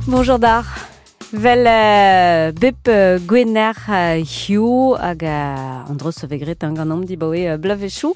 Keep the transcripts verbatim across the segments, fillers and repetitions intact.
Bonjour dar. Vel euh, bep euh, gwener euh, hiu hag euh, an dros vegret an gant am dibaoe euh, blavechou.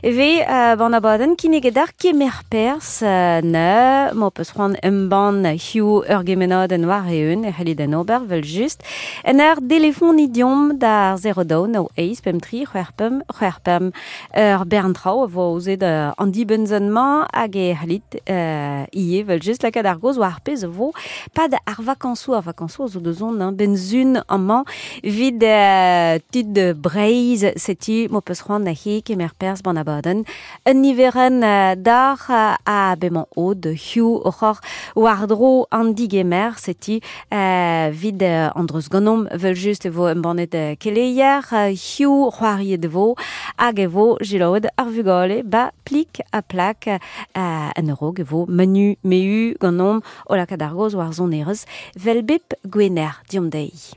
Eve euh, ban abadenn kinneget ar kemer pers euh, ne mo peus c'hoant embann hiu ur gemenadenn war eeun e c'hellit en ober vel just. En ur delefon idiom d'ar zero daou nao eiz pemp tri c'hwec'h pemp c'hwec'h pemp ur bern traoù a vo aozet euh, an dibenn-mañ hag e c'hellit euh, ivez vel just lakaat ar gaoz war ar pezh a vo pad ar vakañsoù ar vakañsoù zo deus hein, benzun amañ vid euh, tud Breizh seti mo peus c'hoant ahe kemer perzh ban abadenn un niverenn euh, d'ar euh, a bemañ od hiu oc'hor war-dro an digemer seti euh, vid euh, an dreuz ganomp vel just e vo embannet euh, keleier euh, hiu c'hoariet e vo hag e vo jilaouet ar vugale ba plik a plak euh, an eurog e vo manu meu ganomp o lakaat ar gaoz war sonerezh vel bep gwener diom deiz.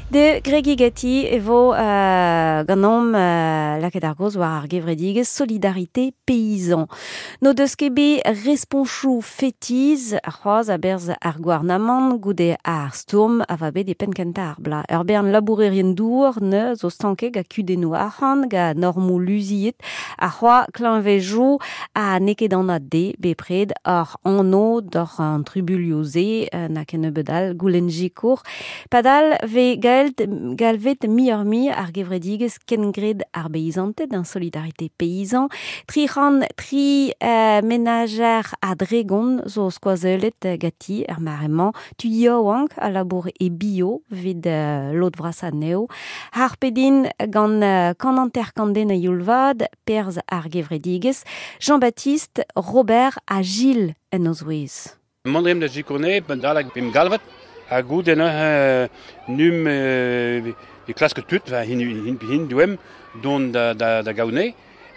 De Gregi Gati e vo euh, ganomp euh, lakaat ar gaoz war ar gevredigezh Solidarité Paysan. No deus ket bet responchou fetiz ar c'hoaz a-berzh ar gouarnamant goude ar stourm a va bet e penn kentañ ar bla. Ur bern labourerien dour ne zo stanket ga kudennoù arc'hant ga normou luziet ar c'hoaz klañvejou a n'eo ket anat de bepred ar anv d'oc'h an trubulioù-se na ken nebeud all goulenn jikour. Padal ve gaelt galvet mi-ur-mi ar gevredigezh kengred ar beizanted an Solidarité Paysan. Tri c'hant tri euh, menajer a dregon zo skoazellet gati er mare-mañ. Tu yaouank a labour e bio vid euh, lod vras anezho. Har pedin gant euh, kant hanter kant den a youl-vat, perzh ar gevredigezh, Jean-Baptiste, Robert ha Gilles en o zouez. Mont da jikourne, ben dalek bim galvet. Ha goude neuze num euh, e klask tud, va hin, hin, hin douem, don da, da, da gaoune.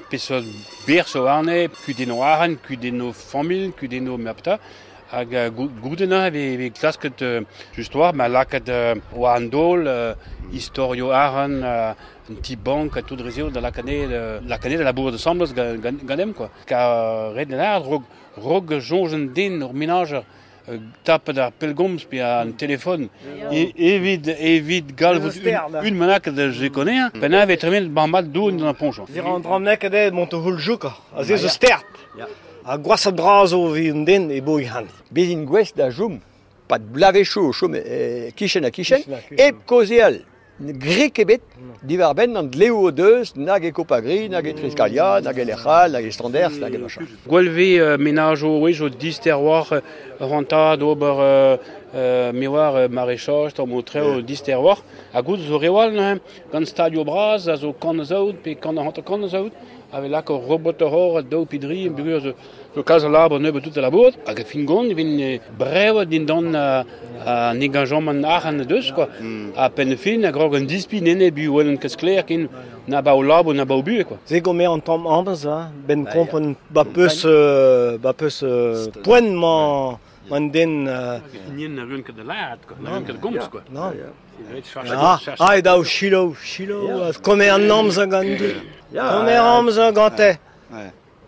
Peseurt ber zo arne, kudenno arc'hant, kudenno familh, kudenno merpta. Hag goude neuze ve, ve klasket euh, just war, ma lakaat euh, war an daol, euh, istorio arc'hant, euh, un ti bank ha tout rezeo da lakane, lakane da labour ensemble ganem, quoi. Ka red den ar, rog, rog soñj den ur menajer, tapet ar pellgomz pe an telefon e, evit evit galvout un, un menak da jekonea ben ave tremen ban mat doun d'an ponchon. Zir an dramnek eo mont o houl jouka, a ze zo stert. A gwasat bras o vi un den e bo ihan. Bezin gwest da joum, pat blavechoù o chom e kichen ha kichen, hep kaozeal grek ebet diwar benn an dleoù o deus nag e Kopagri, nag e Triskalia, nag e Lec'hal, nag e Standers, nag e machin. Gwell ve euh, menajo wech o dister war rentad ober euh, euh, me war maraîchage, tamm o treo dister war. Ha gout zo rewal neuze, gant stadio bras, a zo kant zaout, pe kant hanter kant zaout, ave lak ur robot hor daou pidri, bugur zo, zo kalz a labour nebeut tout a labour. Hag a fin gont, vin brev dindan an engagement arc'hant deus, quoi. A penn fin, a grog an dispi nene bu wel an ket sklaer ken na ba o labour, na ba o bu, quoi. Ze gomer an tamm amz, hein, ben kompren ba peus, euh, ba peus euh, poent man, man den... Euh... Nien na run ket da laat, quoi. Na run ket gomz, quoi. Non. Ah, ah, e daou chilo, chilo, komer an amz gant du. Komer amz gante.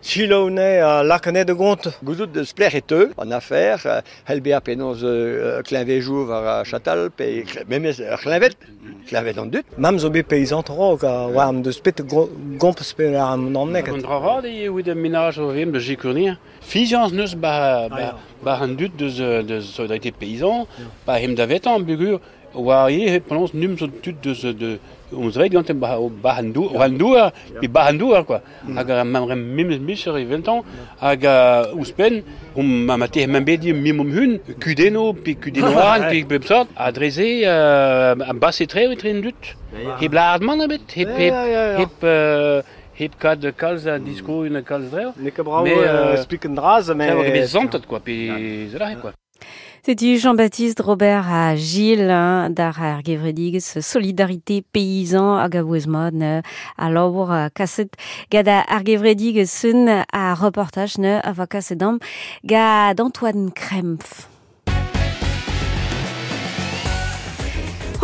Chilo ne a lakane de gont. Gouzout deus plec'h e teu, an afer, hel bea penaos euh, kleñvejou war a chatal, pe memez ur kleñved, kleñved an dud. Mam zo bet paysan rog, a war am deus pet gomp pe ar an amnek. An dra vat eo evit ar menaj o vem da jikournier. Fiziañs neus ba, ba, ba an dud deus, deus Solidarité Paysan, ba hem da vetan bugur, war eo penaos num zo tud deus de on zreit gant ba ba an dour, an dour, pe ba an dour, quoi. Hag a mam rem memes micher eveltañ, hag a ouzhpenn, hom ma mate mam bet mim om hun, kudenno, pe kudenno arc'hant, pe bep sort, a dreze a basse tre etre an dud. Hep lâret mann ebet, hep hep hep euh, hep kad kalz a disko un kalz dreo. N'eo ket brav expliken draz, mais... Tra bet zantet, quoi, pe zela, quoi. Setu Jean-Baptiste Robert ha Gilles hein, d'ar ar gevredigezh Solidarité Paysan hag a vouez mat ne a labour kaset gant ar gevredigezh sun a reportaj ne a va kaset am gant Antoine Krempf.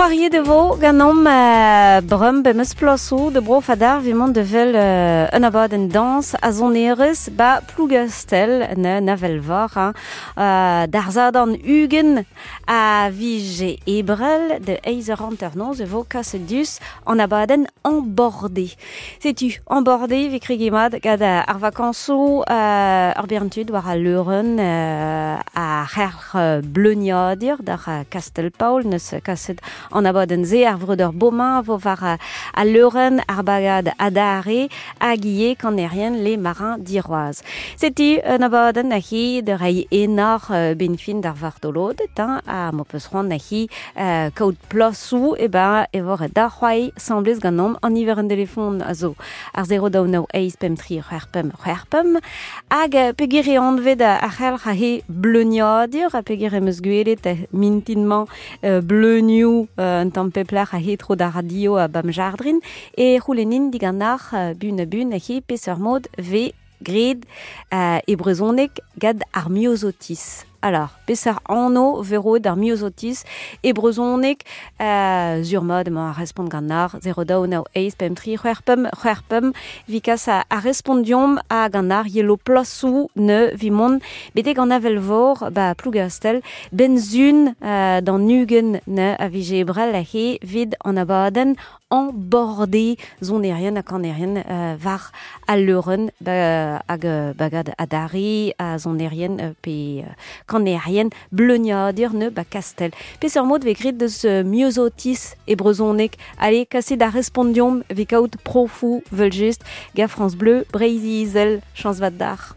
C'hoariet e vo ganeomp euh, brum be meus plasou de bro fadar vimont de vel euh, un abadenn dans a zonerez ba Plougastel ne navel var hein, euh, d'ar ugen a vije ebrel de eizer hanter noz e vo kaset dus an abadenn embordé. Setu, embordé vi krigimad gad ar vakanso euh, ar berntud war a leuren euh, a c'her bleuniadur d'ar Kastel-Paul neus kaset an abadenn ze ar vreudeur Beaumain vo war a leuren ar bagad adare hag ie kanerien les marins d'Iroise. Setu un abadenn a hi de rei enar euh, benfin d'ar vartolodet hein, a mo peus c'hoant a hi euh, kaout plasou e ben e vor da c'hoai semblez ganeomp an iver an telefon a zo ar zero daou nao eiz pem tri c'hwec'h pemp c'hwec'h pemp hag peogwir e anvet ar c'helc'h a he bleuniadur a peogwir em eus gwelet mintinmañ euh, bleunioù euh, un tamm peplec'h a he tro da radio a bam jardrin e c'houlennin digant ar bun a bun a he peseurt mod ve gred euh, e brezhoneg gad ar myosotis. Alors, peseurt anv vero d'ar myosotis e brezhoneg euh, zur mod emañ a respont gant ar zero daou nao eiz pemp tri c'hwec'h pemp c'hwec'h pemp vikas a, a respondiomp a gant ar yelo plasou ne vimont betek an avel vor ba Plougastel benzun euh, d'an ugen ne a vije ebrel a he vid an abadenn embordé zonerien ha kanerien euh, var al leuren ba, hag bagad adari a zonerien euh, pe euh, kanerien bleuniadur ne ba Kastel. Peseurt mod ve grit deus euh, myosotis e brezhoneg. Allez, kaset da respondiomp vi kaout profou vel just ga France Bleu Breizh-Izel chans vat d'ar.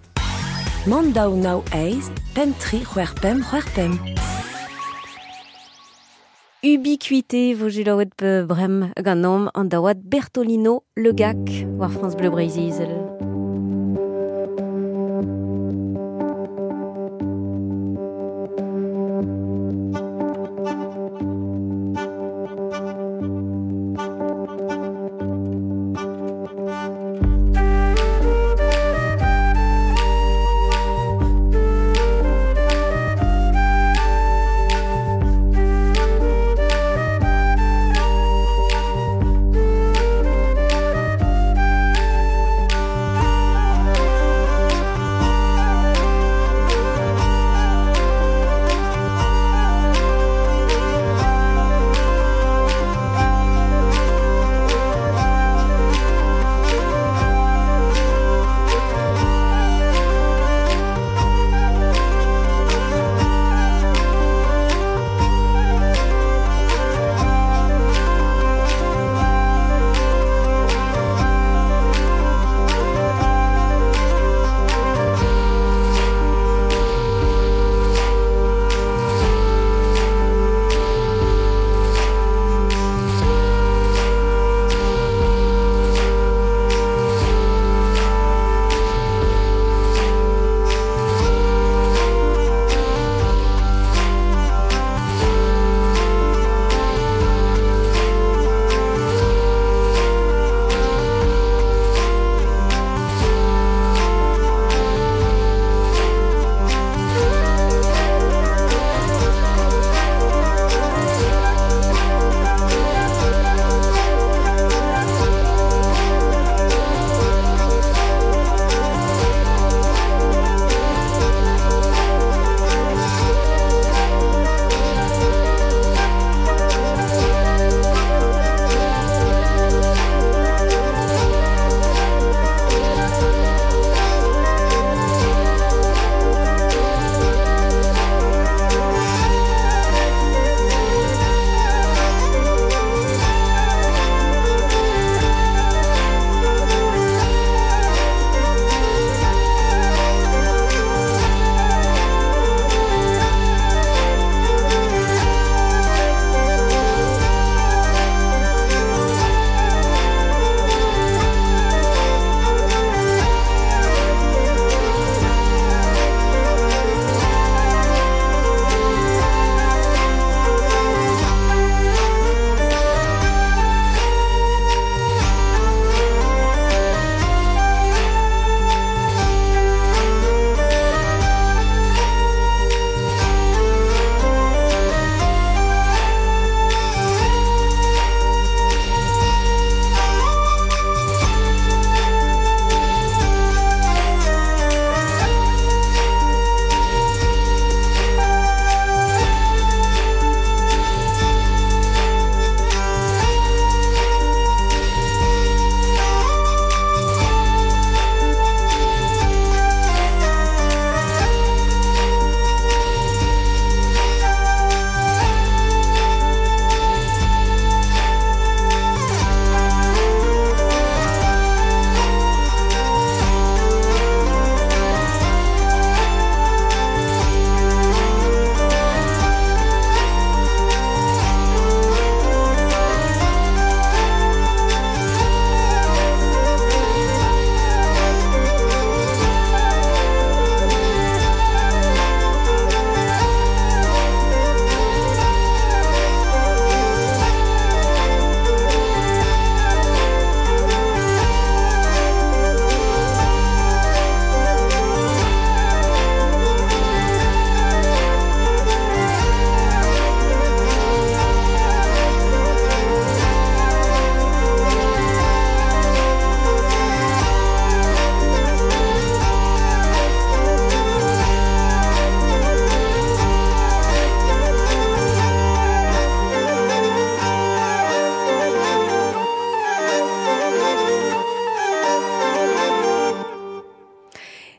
Mand daou nao eiz, pemp tri c'hwec'h pemp c'hwec'h pemp. Ubiquité vo jilaouet pe brem ganeomp an daouad Bertolino Le Gac war France Bleu Breizh-Izel. Thank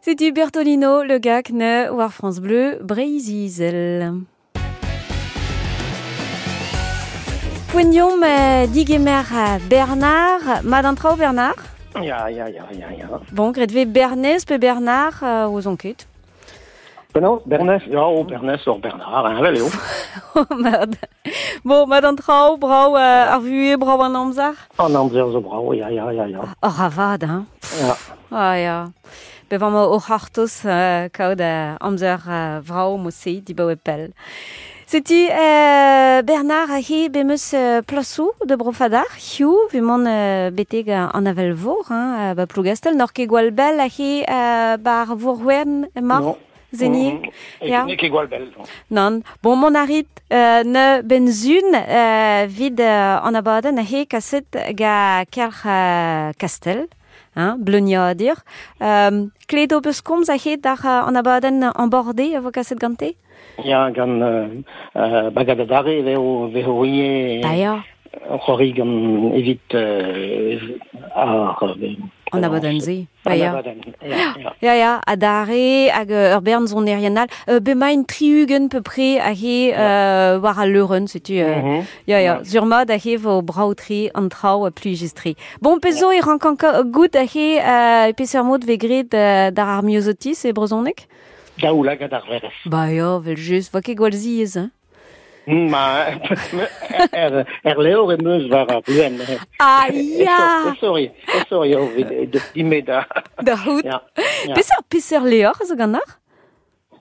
Setu Bertolino, Le Gac, ne war France Bleu, Breizh-Izel. Poignon euh, digemer Bernard, mad an traoù Bernard? Ya, ya, ya, ya, ya. Bon, gret ve Bernez pe Bernard euh, oz on ket. Penaos, Bernez, ya, oh, Bernez or Bernard, hein, vel eo. Oh, mad. Bon, mad an traoù, brao euh, ar vuez, brao an amzer? An amzer zo brao, ya, ya, ya, ya. Oh, ravad, hein. Ya. Ah, ya. Be vam o c'hartoz euh, kaout euh, amzer euh, vrao mo-se dibaoe pell. Setu euh, Bernard a he bemeus euh, plasou de brofadar, hiu, vu mon euh, beteg an avel vor, hein, euh, ba Plougastel, nor ket gwall bell a he euh, bar vourwen mar, Non. zenier. Mm, Ya. mm. Ne ket gwall bell. non. Nan. Bon, mon arit euh, ne benzun euh, vid euh, an abadenn a he kaset ga kelc'h euh, Kastel, hein, bleuniadur. Euh, kledo beus komz a he d'ar euh, an abadenn an borde a vo kaset gante? Ya, gant euh, euh, bagad adare veo veo rie Ba ya, c'hori gant evit euh, ar... an abadenn ze. Ba An ya. abadenn, ya, ya. Ya, ya, adare hag euh, ur bern zonerien all. Euh, bemain tri-ugent peu près a he euh, war al leurenn, setu... Euh, Mhm. Ya, ya, sur mad a he vo braoutri an traoù a plijistri. Bon, pezo e rank an gout a he euh, peseurt mod ve gret euh, d'ar ar miozotis e brezhoneg? Daoulagad ar verez. Ba ya, vel just, va ket gwall ziez, hein. Ma, er, er levr em eus war ar bluen. Ah, ya! Sorry, sorry, eo, de dime da. Da c'hout. Ya, ya. Peseurt peseurt levr a zo gant ar?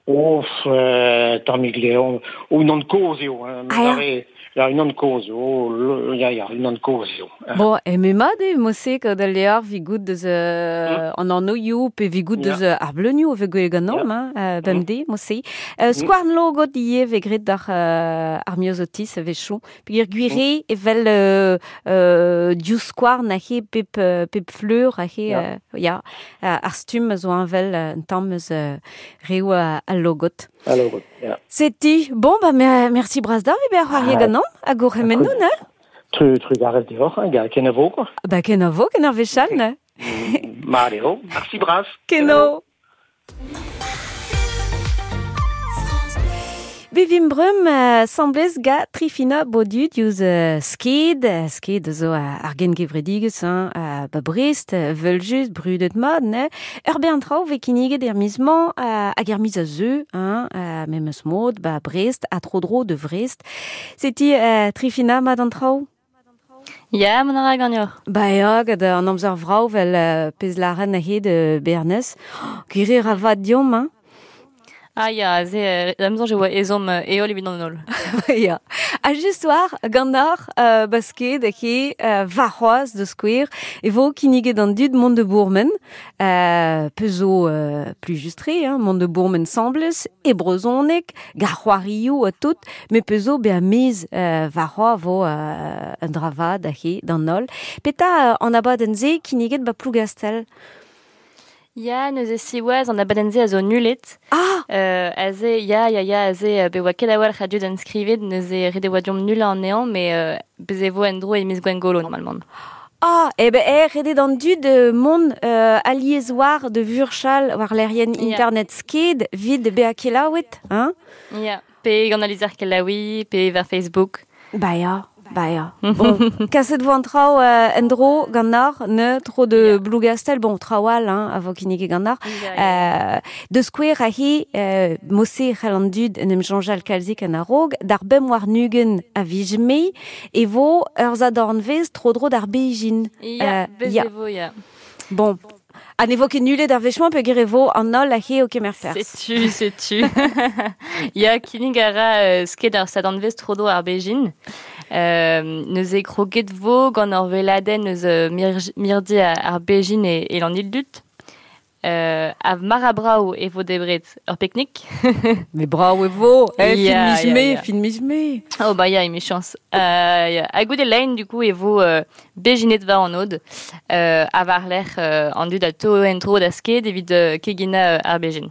Of, euh, tammig levr, o unan kozh eo. Hein, Ah, ya. Lare, la unan kozh eo, le- ya, ya, unan kozh eo. Bon, e me mat eo, mo-se kaout al levr vi gout deus euh, an annoioù pe vi gout Ya. deus euh, ar bleunioù ve gwell ganeomp, hein, euh, bemdez, mo-se. Euh, skouarn logot ivez ve gret d'ar euh, ar miozotis a vechou. Peogwir gwire evel euh, euh, div skouarn a he pep, euh, pep fleur a he, Ya. euh, ya, euh, ar stumm a zo anvel euh, un tamm eus euh, reoù a, al logot. Alors, ya. Setu, bon, bah, mer- merci bras d'ar, e ber c'hoarie Ah. ganeomp, hag o c'hemennoù, ne? Tru, trugarez deoc'h, hein, ga, kenavo, quoi. Ba kenavo, ken ar wechall, ne? Mat eo, merci bras. Keno. Bevim breum euh, semblez ga Trifina Bodu diouz euh, sked, euh, sked zo euh, ar gengevredigez, hein, euh, ba Brest, euh, veul just, brudet mat, ne? Ur bern traoù ve kinniget er miz-mañ, euh, hag er miz a zeu, hein, euh, memes mod, ba Brest, a tro-dro de Vrest. Seti euh, Trifina mat an traoù? Ya, mon ara gagnor. Ba ya, gant an amzer vrao vel euh, pez laren a hed euh, Bernez. Gwir eo ra vat diomp, hein? Ah ya, ze, euh, amzon je oa ezhomm euh, eol evit an holl. Ya. A just war, gant ar euh, basket he euh, varc'hoaz de skouer, e vo kinniget an dud mont de bourmen, euh, pezo euh, plus justre, hein, mont de bourmen semblez, e brezhoneg, gar c'hoarioù a tout, me pezo be a mez euh, varc'hoaz vo euh, un dravad a he d'an holl. Peta euh, an abadenn ze kinniget ba Plougastel. Ya, neuze siwaz an abadenn ze a zo nulet. Ah! Euh, aze, ya, ya, ya, aze, euh, be oa ket a-walc'h a dud enskrivet, neuze ret e oa diomp nul an ean, mais euh, bez e vo en dro e miz Gwengolo, normalement. Ah, eh ben, eh, redet an dud euh, mont euh, aliez war de vurchal war lerien Ya. internet sked vid be a kelaouet, hein? Ya, pe gant alizer kelaoui, pe war Facebook. Ba ya, ba ya. Bon, kaset vo an traoù euh, en dro gant ar, ne, tro de Ya. Plougastel, bon, traoù all, hein, a vo kinniget gant ar. Ya, ya. Euh, de skouer a he, euh, mose c'hell an dud en em janjal kalzik an a-raog, d'ar bem war nugen a vij-me, e vo ur zadornvez tro dro d'ar Beijing. Ya, euh, bez ya. e vo, ya. Bon, a ne vo ket nulet ar wechmañ peogwir e vo an holl a he o kemer perzh. Setu, setu. Ya, kinnig a ra euh, sked ar sadanvez tro-dro ar Beijing. Euh, neuze kroget vo gant ur veladenn eus euh, mir- mirdi ar, ar Beijing e, e l'an Ildut. Euh, a mar a brao e vo debret ur peknik. Mais bravo e vo, eh, Ya, fin miz me, ya, ya. fin miz me. Oh bah ya, emichañs chance. Euh, ya. Hag goude lein, du coup, e vo euh, bejinet war an od, euh, a war lec'h euh, an dud a to en tro da sked evit euh, kegina euh, ar Beijing.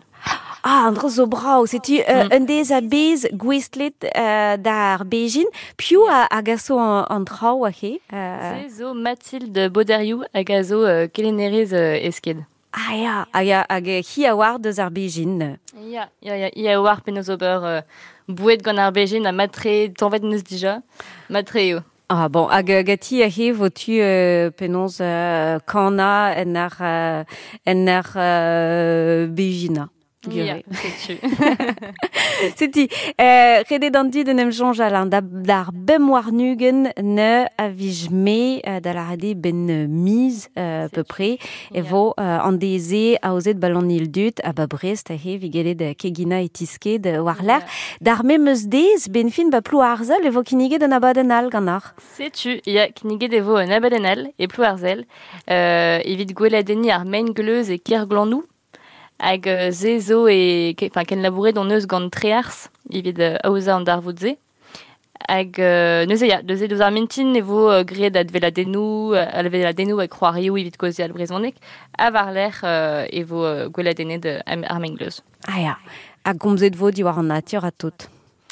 Ah, an dra zo brao, setu euh, Mm. un dez a bez gouestlet euh, d'ar Beijing, piv a, a gaso an, an traoù a he. Euh, Se zo Mathilde Boderiou hag a zo euh, kelennerez euh, e sked. Ah ya, hag hag hi a war deus ar bejin. Ya, ya, ya, hi a war penaos ober euh, boued gant ar bejin a matre tanvet neus dija, matre eo. Ah bon, hag gati a he vo tu euh, penaos euh, kana en ar, euh, en ar euh, bejina. Ya, setu. Setu, euh, redet an dud en em soñjal an da, d'ar bem war nugen ne a vij me euh, da la rade ben miz euh, peu près e vo euh, an deze aozet ballon il dut a ba Brest a he vigelet kegina e tisked war l'air. D'ar memeus dez ben fin ba plou arzel e vo kinniget an abadenn all gant ar. Setu, ya, kinniget e vo an abadenn all e plou arzel euh, evit gweladeni ar maen gleuz e Kerglannou. Hag euh, ze zo e, enfin, ken labouret on eus gant trears, evit euh, aoza an darvoud ze. Hag euh, neuze ya, neuze deus ar mintin e vo euh, graet adveladennoù, adveladennoù hag c'hoarioù evit kaozeal brezhoneg, ha war-lerc'h euh, e vo euh, gweladennet euh, ar maen gleuz. Ah ya, hag gomzet vo diwar an natur a tout.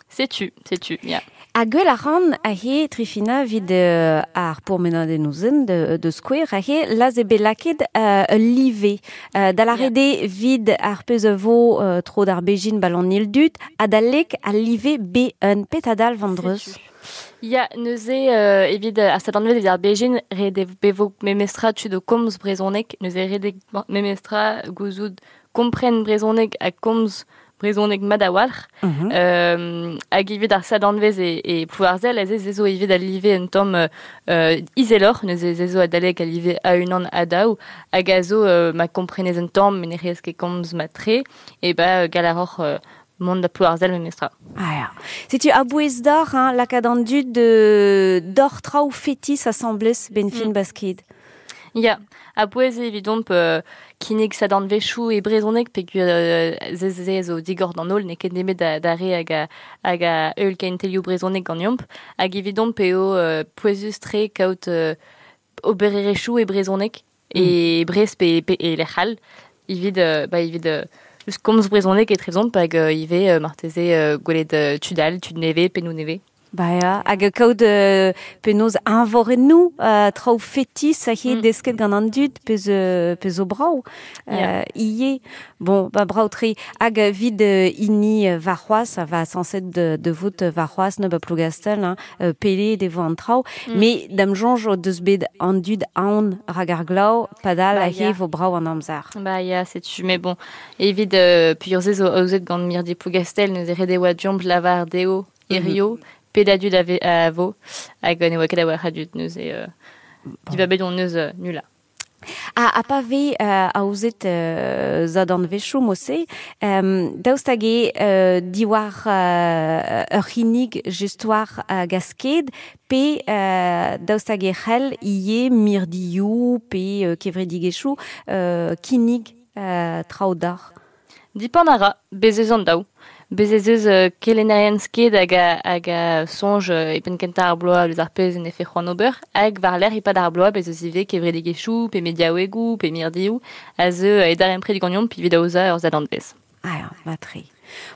Setu, setu, ya. Ha gwell a ran a he Trifina vid euh, ar pourmenadennoù zen de, de skouer a he laz e bet laket euh, ul live. Euh, da la rede vid ar pezh a vo euh, tro d'ar bejin ballon il dut ha da lek al live B un petadal vandreus. Ya, neuze euh, evit ar sadanvet evit ar bejin rede bevo memestra tud o komz brezhoneg, neuze rede memestra gouzout kompren brezhoneg ha komz brezhoneg mat a-walc'h. Mm -hmm. euh, hag evit ar sadanvez e, e Plouarzel, ez ez zo evit al live un tamm euh, izeloc'h, neuze ez zo adalek al live a-unan a-daou, hag a zo euh, ma komprenez un tamm, met ne rez ket komz mat-tre, e ba galaroc'h euh, mont da Plouarzel memestra. Ah ya. Setu a-bouez d'or, hein, lakaat an dud de d'or traoù fetis asambles ben fin mm. basked. Ya, a-bouez evidomp euh, kinnig sadanvezhioù e brezhoneg peogwir euh, ze ze zo digor d'an holl n'eo ket nemet da, da re hag a, hag a eul kentelioù brezhoneg ganeomp hag evidomp eo euh, pouezus-tre kaout euh, obererezhioù e brezhoneg e mm. Brest pe, pe e lec'h all evit euh, ba evit euh, just komz brezhoneg etrezomp hag euh, ivez euh, marteze euh, gwelet euh, tud all, tud nevez, pennoù nevez. Ba ya, hag kaout euh, penaos eñvorennoù euh, traoù fetis a he mm. desket gant an dud pezh euh, pezh zo brav euh, yeah. ivez. Bon, ba brav-tre hag vid euh, hini warc'hoazh a va sañset de, de vout warc'hoazh ne ba Plougastel hein, euh, pele devo an traoù mm. mais da'm soñj o deus bet an dud aon rak ar glav padal ba, a he vo brav an amzer. Ba ya, setu, mais bon, evit euh, puur se zo aozet gant mirdi Plougastel neuze ret e oa deomp lavar dezho hirio mm -hmm. Pedadud a, a vo, hag ne oa ket a war a dud neuze euh, dibabet on neus euh, nula. Ha, ha pa ve euh, aozet euh, zadanvezhioù mose, euh, daoust hag eo euh, diwar euh, ur c'hinnig just war euh, gasked, pe euh, daoust hag e c'hell ivez mirdioù pe euh, kevredigezhioù euh, kinnig euh, traoù d'ar. Dipant a ra, bez eus an daou. Bez ez eus euh, kelennerien sked hag a, hag a soñj euh, e penn kentañ ar bloaz eus ar pezh en efe c'hoant ober, hag war-lerc'h e-pad ar bloaz bez eus ivez kevredigezhioù, pe mediaouegoù, pe mirdioù, a zeu e darempred ganeomp evit aozañ ur sadanvez. Ah ya, mat-tre.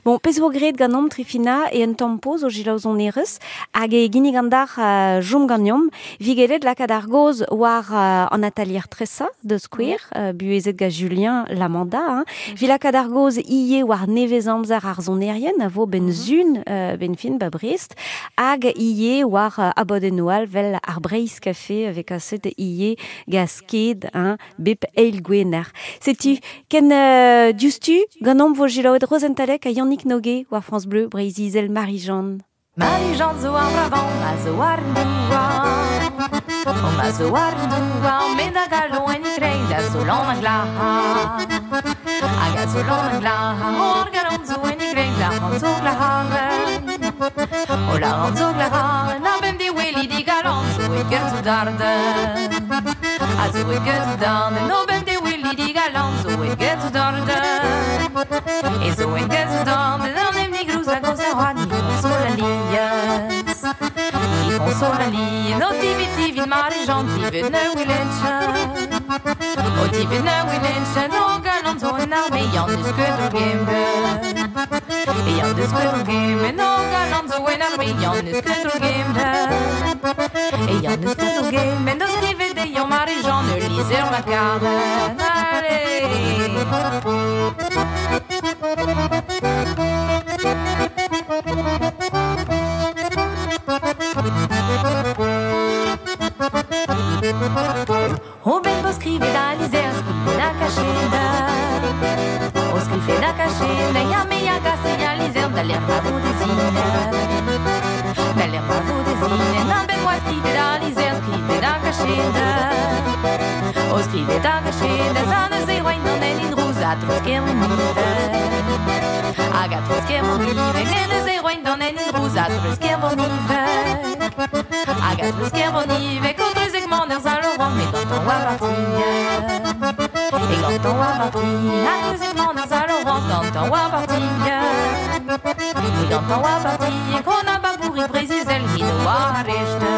Bon, pezh vo graet ganeomp Trifina e un tamm poz o selaou sonerezh hag e ginnig an dar uh, jom ganeomp vigelet lakaat ar goz war uh, an atalier tresa de skouer uh, buhezet gant Julien Lamanda hein. Mm. Vi lakaat ar goz ivez war nevez amzer ar sonerien a vo ben zun uh, ben fin ba Brest hag ivez war uh, abadennoù all vel ar Breizh Café avec aset ivez gasked hein, bep eil gwener. Setu ken uh, diouzhtu ganeomp vo selaouet Rozenn Talec a Yannick Noguet war France Bleu, Breizh-Izel, Marie-Jeanne. Marie-Jeanne zo ar bravan, ma zo ar douar. O ma zo ar douar, met a galon en ikreid a zo lan a glahar. Hag a zo lan a glahar, o ar galon zo en ikreid la ran zo glaharen. O la ran zo glaharen, a bem de weli di galon zo e gerzu darden. A zo e gerzu darden, o bem de weli di galon zo e gerzu darden. E zo e gerzu darden, an em nigrouz a goz a road, ni konsola lies. Ni konsola lies, o tivit tivit Marie-Jeanne, tivit ne wilenchen. O tivit ne wilenchen, o galon zo en arme, yann eus ket o gemben. E yann eus ket o gemben, o galon zo en arme, yann eus ket o gemben. E yann eus ket o gemben, deus skrivet dezhañ Marie-Jeanne, ul lizher ma karen. Allez! O ben bo skrivet da lizer, skrivet da kacheda. O skrivet da kacheda, ya me ya gase ya lizer, da l'air pa vo dezine. Da l'air pa vo dezine, nan ben oa skrivet da lizer, skrivet da kacheda. O skrivet da kacheda, za neuze roin an en in rouz a trouz ker mon ive. Hag a trouz ker mon ive, ne neuze roin an en in rouz a trouz ker mon ive. Hag a trouz ker mon ive, kontrezek man er Saint-Laurent, mais quand on va partir, et quand on va partir, a trouzek man er Saint-Laurent, quand on va partir, et quand on va partir, qu'on a pas pourri préciser le hino a rechte.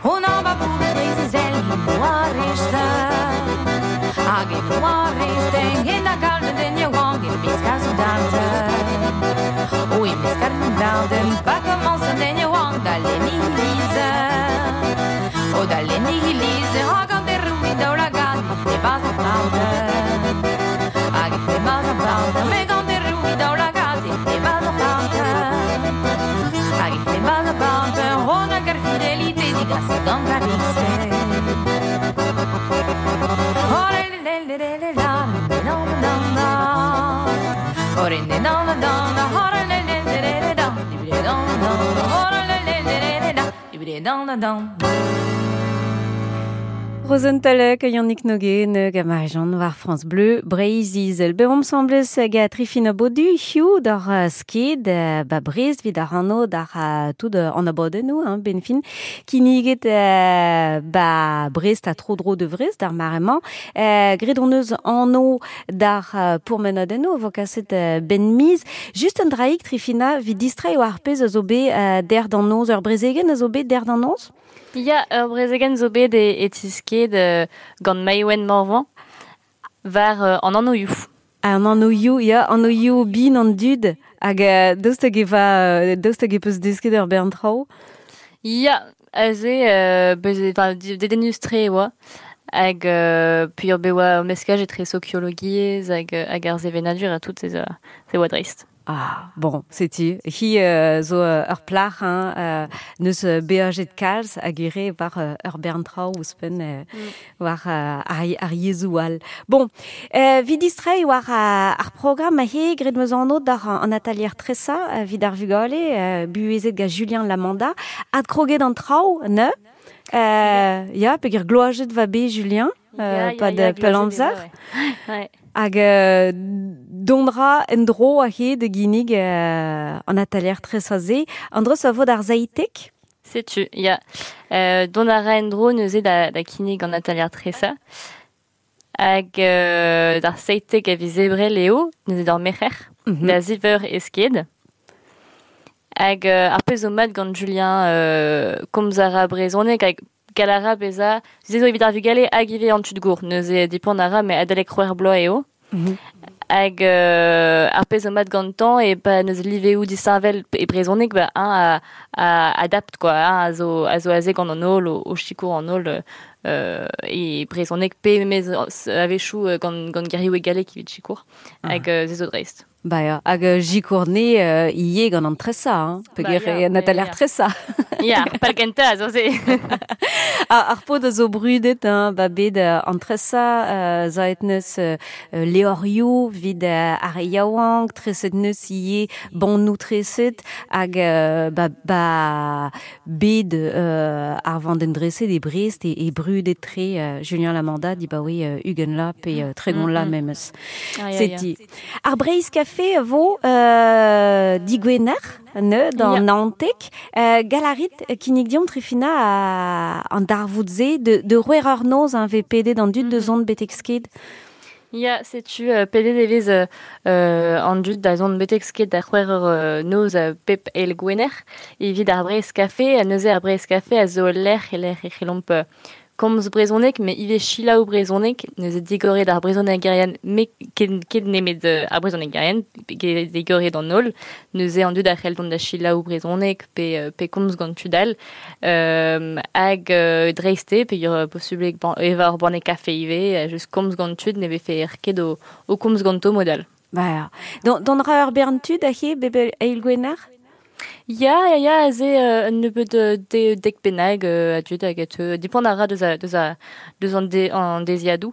On a pas pourri préciser le hino a rechte. Hag e noa rechten, en a galvet den yaouank e miskar zo darden. O e miskar zo darden, pa komañs an den yaouank da lenni ilize. O da lenni ilize, hag an derroù daoulagad, e baz ar parden. Hag e baz ar parden, me gant derroù daoulagad, e baz ar parden. Hag e baz ar parden, on a gar fidelite digas gant ar rikse. Rosentalek, Yannick Noguet, hag Marijan war France Bleu, Breizh-Izel. Be omp semblez ga Trifina Bodu, hiu d'ar sked, ba Brest, vid ar anno d'ar tout an abadennoù, hein, ben fin, kinniget ba Brest a tro dro de Vrest d'ar maremañ, gret on eus anno d'ar pourmenadennoù, vo kaset ben miz. Just un draig, Trifina, vid distrei o ar pezh a zo bet der d'an noz, ur brezegen a zo bet der d'an noz? Ya, ur brezegen zo bet e, e tisked euh, gant Maïwenn Morvan war euh, an annoioù. An annoioù, ya, annoioù bin an dud, hag euh, daoust hag e va, daoust hag e peus desket ur bern traoù? Ya, aze, euh, bez, enfin, dedennus-tre e oa, hag euh, puis ur bet oa ur meskaj etre sokiologiezh hag, hag ar sevenadur ha tout, se, se oa dreist. Ah, bon, setu. Hi euh, zo euh, ur plac'h, hein, euh, neus beajet kalz hag ere war euh, ur bern traoù ouzhpenn euh, mm. war euh, ar, ar yezhoù all. Bon, euh, vid distrei war euh, ar programm a he gret meus anv d'ar an atalier tresa euh, vid ar vugale, euh, buhezet ga Julien Lamanda, adkroget an traoù, ne? Euh, ya, peogwir gloajet va bet Julien, euh, pa de pell amzer. Ouais. Hag euh, dondra en-dro a he de ginnig euh, an atalier tresa-se. An-dro a vo d'ar zaïtek? Setu, ya. Euh, dont a ra en-dro neuze da, da kinnig an atalier tresa. Hag euh, d'ar seitek a viz ebrel eo, neuze d'ar merc'her, mm -hmm. da ziv eur e sked. Hag euh, ar pezh zo mat gant Julien euh, komz a ra brezhoneg hag galara beza, ze zo evit ar vugale hag ivez an tud gour, neuze dipant a ra, met adalek c'hwec'h bloaz eo. Mm -hmm. Hag euh, ar pezh zo mat gantañ e pa neuze liveoù disheñvel e brezhoneg, ba un a, a adapt quoi, un a zo, a zo aze gant an holl, o, o sikour an holl euh, e brezhoneg pe mez a-wechoù gant, gant gerioù e galleg evit sikour, hag euh, ze zo dreist. Ba ya, hag uh, jikourne euh, ie gant an tresa, hein, peogwir Ba ya, an atalier ya. tresa. Ya, pal kentañ, zo se. Ar, ar paotr a zo brudet, hein, ba bet uh, an tresa, uh, zaet neus uh, leorioù vid uh, ar yaouank, treset neus ie bannoù treset, hag uh, ba, ba bet uh, ar vandenn dreset e Brest e, e brudet tre uh, Julien Lamanda di ba oe uh, ugent la pe uh, tregont la Mm, mm. memes. Ah, ya, ya. Seti. Ar Breizh Café vo euh, digwener, ne, d'an Ya. Naontek. Euh, galarit kinnig diomp Trifina a, an darvoud-se de, de c'hwec'h eur noz an vez pedet an dud de Mhm. zont betek sked. Ya, setu euh, pedet e vez euh, euh, an dud da zont betek sked da c'hwec'h eur euh, noz euh, pep eil gwener evit ar Breizh Café, ha neuze ar Breizh Café a zo lec'h e lec'h e c'hellomp euh, komz brezhoneg, me ivez selaou brezhoneg, neuze digoret ar brezhonegerien, me ket, ket nemet euh, ar brezhonegerien, digoret an holl, neuze an dud a c'hell dont da selaou brezhoneg pe, pe komz gant tud all, euh, hag euh, dreiste, pe ur posubl eva ur banne kafe ivez, just komz gant tud ne vefe er ket o, o komz ganto modal. Ba, don, don ra ur bern tud a he bebe eil gwener? Ya, ya, ya, aze euh, un nebeud de, dek bennak euh, a dud hag a dipant a ra deus a, deus a, deus an, de, an deziadoù.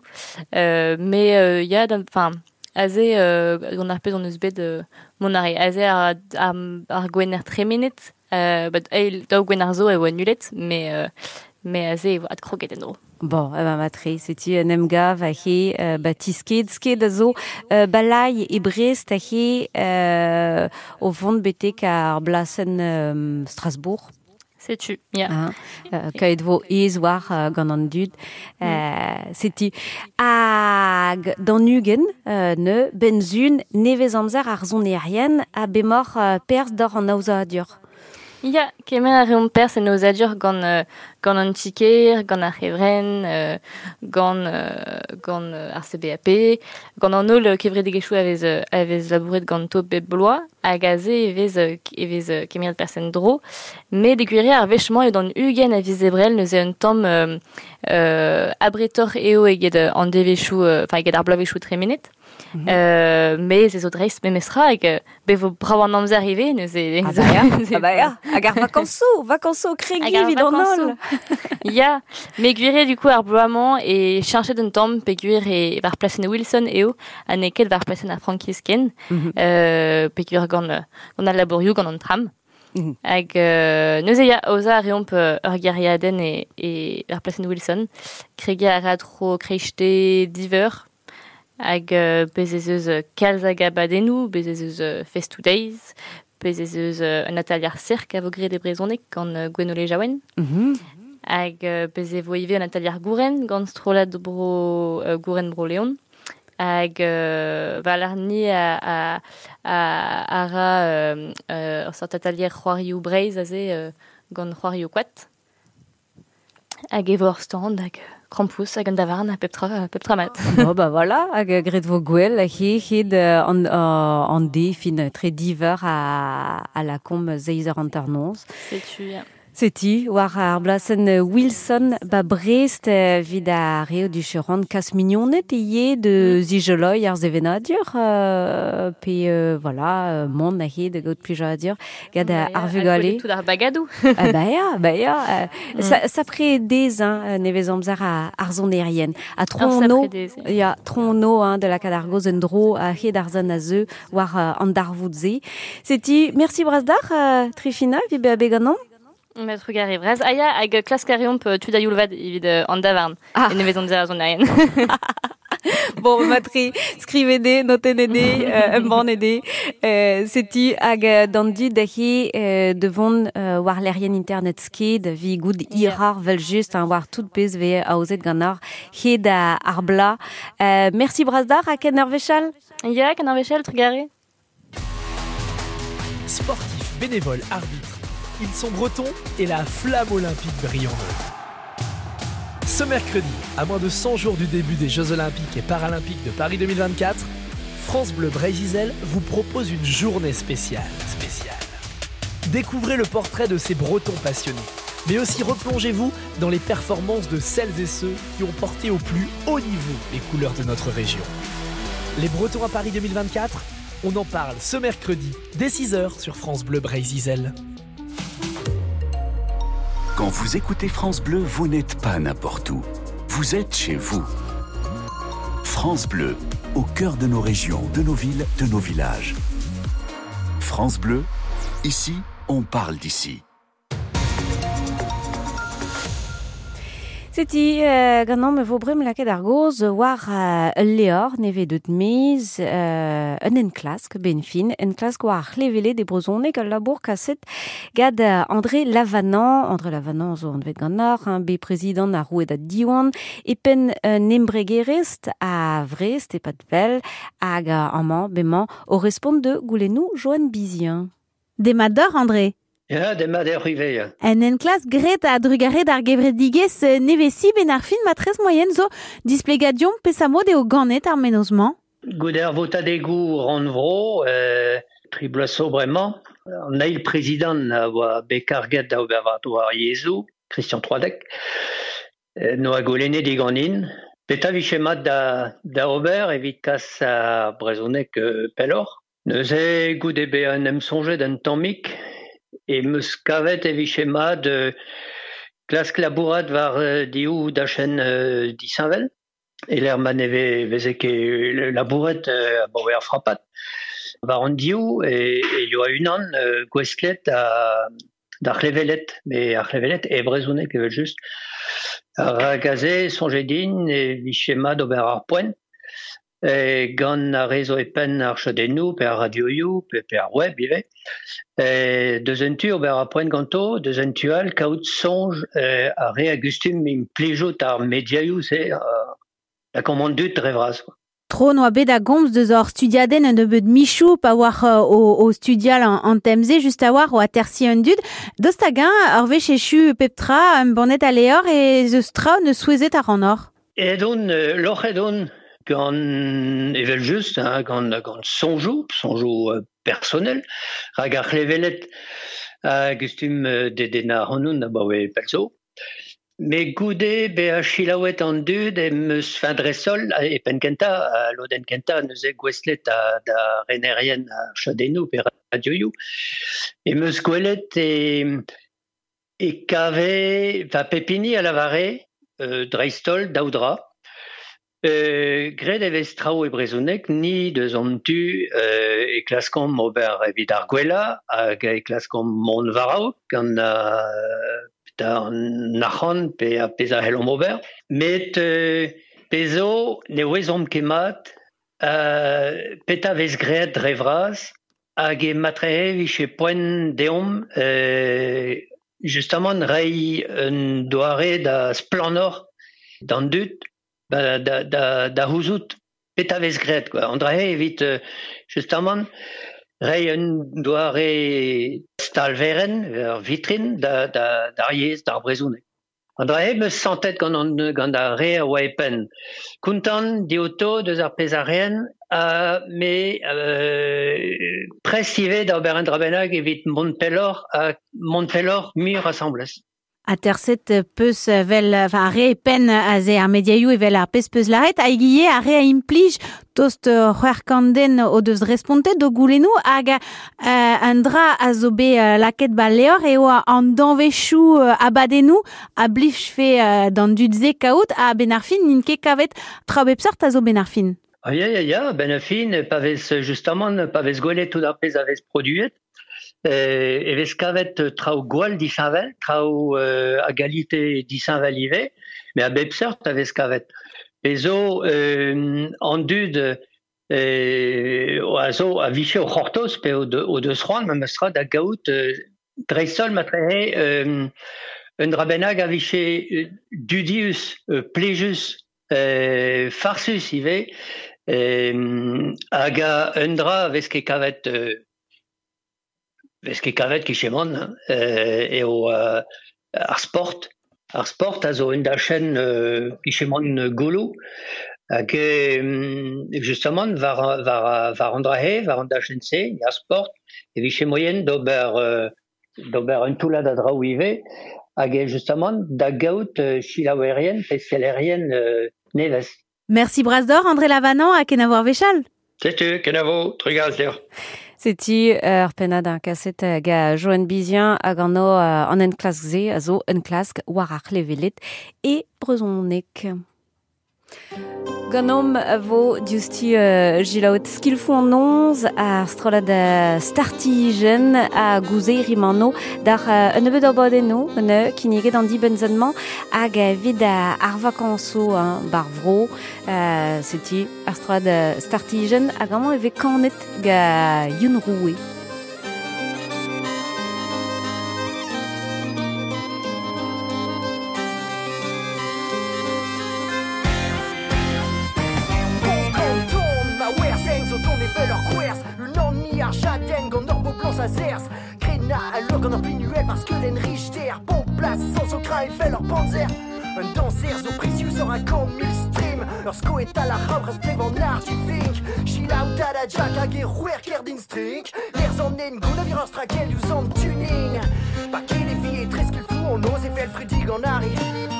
Euh, mais euh, ya, enfin, aze euh, gant ar pezh on eus bet euh, mon arre. Aze ar, ar, ar gwener tremenet, euh, bat eil daou gwener zo e oa nulet, mais, euh, mais aze e oa adkroget en dro. Bon, eh ben, matre, setu un emgav a he euh, ba tisked, sked a zo euh, balai e Brest a he euh, o vont betek ar blasen euh, Strasbourg. Setu, ya. Hein, euh, kaet vo ez war euh, gant an dud. Mm. Euh, setu hag d'an ugen euh, ne benzun nevez amzer ar zonerien a bemor euh, perz d'or an aozadur. Ya, kemer a reomp perz en aozadur gant, euh, gant an tiker, gant ar c'hevren, euh, gant, euh, gant euh, ar C B A P, gant an holl kevredigezhioù a vez, a vez labouret ganto bep bloaz, hag aze e vez, e vez kemeret perz en dro. Met e gwir ar wech-mañ eo d'an ugent a viz ebrel neuze un tamm euh, euh, abretor eo eget an devezhioù, enfin eget ar bloavezhioù tremenet. Mm -hmm. euh, mais ez zo dreist memestra hag bevo brav an amzer ivez neuze. Ah bah ya, ah bah ya, hag ar vakansoù, vakansoù kregi evit an holl. Ya, me gwir eo du coup ar bloaz-mañ e cheñchet un tamm pe gwir e war plasenn Wilson eo ha n'eo ket war plasenn ar Frankisken, mm -hmm. euh, pe gwir gant, gant al labourioù, gant an tram. Mm -hmm. Hag euh, neuze ya, aozañ a reomp ur gêriadenn e, e war plasenn Wilson. Kregiñ a ra tro kreiste div eur. Hag euh, bez ez eus kalz hag abadennoù, bez ez eus euh, Fest to Days, bez ez eus euh, un atelier cirque a vo graet e brezhoneg gant euh, Gwenole Jaouen. Mm -hmm. Hag euh, bez e vo ivez un atelier gouren gant strollad bro euh, gouren bro Leon. Hag euh, valarni a, a, a, a ra euh, euh, ur sort atelier c'hoarioù Breizh aze euh, gant c'hoarioù koad. Hag e vo ur stand hag krampouezh hag an davarn ha pep tra, pep tra mat. Bon, bah voilà, hag graet vo gwell he hed an, an de fin tre diver a, a la kom zeiz eur hanternoz. Setu, ya. Setu, war ar blasenn Wilson ba Brest vid ar reo du cheurant kas mignonet ivez de zijeloi ar sevenadur euh, pe euh, voilà mont a he de gaout plijadur gant ar vugale. Tout ar bagadou. Ah bah ya, bah ya. Euh, mm. Sa, sapre dez hein, nevez amzer a, ar zonerien. A tronno, ya, tronno hein, de la kadargoz en dro a hed ar zan a zeu war uh, an darvoud-ze. Setu, merci brazdar, euh, Trifina, vi be abeganon. Met trugarez braz. Ah ya, hag klask a reomp tud a youl vat evit an davarn. Ah. E nevez amzer ar zonerien. Bon, matri, skrivede, notenede, euh, embanede. Euh, setu hag d'an dud he euh, devon euh, war lerien internet sked vi goud irar vel just hein, war tout pezh ve aozet gant ar hed ar bla. Euh, merci brazdar ha ken ar wechal. Ya, ken ar wechal, trugarez. Sportif, bénévole, arbitre. Ils sont bretons et la flamme olympique brille en eux. Ce mercredi, à moins de cent jours du début des Jeux Olympiques et Paralympiques de Paris deux mille vingt-quatre, France Bleu Breizh-Izel vous propose une journée spéciale. Spéciale. Découvrez le portrait de ces Bretons passionnés, mais aussi replongez-vous dans les performances de celles et ceux qui ont porté au plus haut niveau les couleurs de notre région. Les Bretons à Paris deux mille vingt-quatre, on en parle ce mercredi, dès six heures sur France Bleu Breizh-Izel. Quand vous écoutez France Bleu, vous n'êtes pas n'importe où. Vous êtes chez vous. France Bleu, au cœur de nos régions, de nos villes, de nos villages. France Bleu, ici, on parle d'ici. Seti euh, ganon me vo brem lakaet ar goz war euh, ul leor neve deut mez euh, un enklask ben fin enklask war ar c'hlevele de brezhoneg ul labour kaset gad André Lavanant. André Lavanant zo anvet gant ar hein, be prezident ar roued a Diwan e penn un embregerezh a Vrest e pad pell hag amañ bemañ o respont de goulennoù Joanne Bizien. Demat deoc'h André. Ya, demat eo ivez, ya. En enklask graet a drugarez d'ar gevredigezh nevezi ben ar fin matrez moyen zo displegadion pesa mod eo ganet ar mennozh-mañ. Goude ar votadegoù rannvro, euh, tri bloaz zo bremañ, an eil prezidant a oa bet karget da ober war ar yezhoù, Christian Troadec, noa golennet diganin. Petra vije mat da, da ober evit kas ar brezhoneg euh, pelloc'h. Neuze goude bezañ en em soñjet un tammig e meus kavet e vije mat euh, klask labourat war euh, div dachenn euh, disheñvel. E l'er ma ne veze ket labouret euh, abaoe ar frapat. War an div e, e yoa unan euh, gouestlet a, d'ar c'hlevelet, me ar c'hlevelet e brezhoneg evel just. Ar aze soñjet din e vije mat ober ar poent. E gant ar re zo e penn ar chadennoù, pe ar radioioù, pe, pe ar web ivez. E, deus un tu ober ar poent ganto, deus un tu all kaout soñj e, ar re a gustum implijout ar mediaioù, se euh, la commande dut dre vras. Tro noa bet a gomz deus hor studiadenn un nebeud michou pa war o, o studial an, an temze just a war o atersi un dud. Dost hag-eñ ur wech echu pep tra un bannet a leor e zeus tra ne souezhet ar an or. Edon, euh, loc'h edon gant evel just, hein, gant, gant soñjoù, soñjoù euh, personnel, rak ar c'hlevelet a gustum euh, dedennañ ac'hanoun abaoe pell zo. Me goude bezañ selaouet an dud em eus fin dre-sol e penn kentañ, a lodenn kentañ neuze gouestlet da, da renerien ar chadennoù pe radioioù. Em eus gwelet e, e kave, va pep hini a lavare, euh, dreist-holl daou dra. Euh, graet e vez traoù e brezhoneg, ni deus an tu euh, e klaskomp ober evit ar gwellañ hag e klaskomp mont war-raok gant euh, da an arc'hant pe a pezh a c'hellomp ober. Met euh, pezh zo ne ouezomp ket mat euh, petra vez graet dre vras hag e matrehe vije poent deomp euh, justement reiñ un doare da splannoc'h d'an dud ba, da, da, da c'houzout petra vez graet quoi. An dra-se evit euh, justement reiñ un doare stalverenn, ur vitrin da, da, d'ar yezh, d'ar brezhoneg. An dra-se meus santet gant, an, gant ar re a oa e penn. Kontant dioto deus ar pezh a reen, uh, me euh, prest ivez da ober un dra bennak evit mont pelloc'h ha mont pelloc'h muioc'h asambles. Aterset peus vel, enfin, ar re e penn aze ar mediaioù evel ar pezh peus laret, hag ivez ar re a implij tost c'hwec'h kant den o deus respontet d'o goulennoù hag euh, an dra a zo bet euh, lakaet ba leor eo an danvezioù euh, abadennoù a blijfe euh, d'an dud-se kaout ha ben ar fin n'int ket kavet tra bep seurt a zo ben ar fin. Ah, ya, ya, ya, ben ar fin, pa vez justement, pa vez gwelet tout ar pezh a vez produet, euh, e vez kavet traoù gwall disheñvel, traoù euh, a galite disheñvel ivez, mais a bep seurt a vez kavet. Pezh zo euh, an dud euh, a zo a vije o c'hortoz pe o, de, o deus c'hoant memes tra da gaout euh, dreist-holl matrehe euh, un dra bennak a vije euh, dudius, euh, plijus, euh, farsus ivez, euh, hag a un dra a vez ket kavet euh, vez ket kavet kichemont, hein, euh, eo euh, ar sport. Ar sport a zo un dachenn euh, kichemont golo hag euh, justement war, war, war an dra-se, war an dachenn-se, ar sport, e vije moyen d'ober euh, d'ober un toullad a draoù ivez hag eo justement da gaout euh, selaouerien pe sellerien euh, nevez. Merci Brasdor, André Lavanant ha kenavo ar wechall. Setu, kenavo, trugarez deoc'h. Setu ur pennad ar kaset ga Joan Bizien hag an o an enklask-se a zo enklask war ar c'hlevelet e brezhoneg. Ganom vo diouzhtu uh, gilaout skilfoù an noz ar strollad uh, startijenn a gouze rimano d'ar uh, un nebeud abadennoù un kinniget an dibenn-mañ hag evit ar vakansoù hein, bar vro uh, setu ar strollad uh, startijenn hag amañ e vez kanet ga Youn Roue. Zerz, Na a lur gant ur pinuel parce que l'en richter bon place sans son crain et fait leur panzer. Un danser zo precious ur a kant mil stream. Ur sko et à la rabre strev an art du fink. Chila ou tada jack hag e c'hwer kerdin strink. L'ers an en goun a vir ur strakel diouzh an tuning. Pa ket e vi e tres qu'il fou on oz e fel fredig an ari.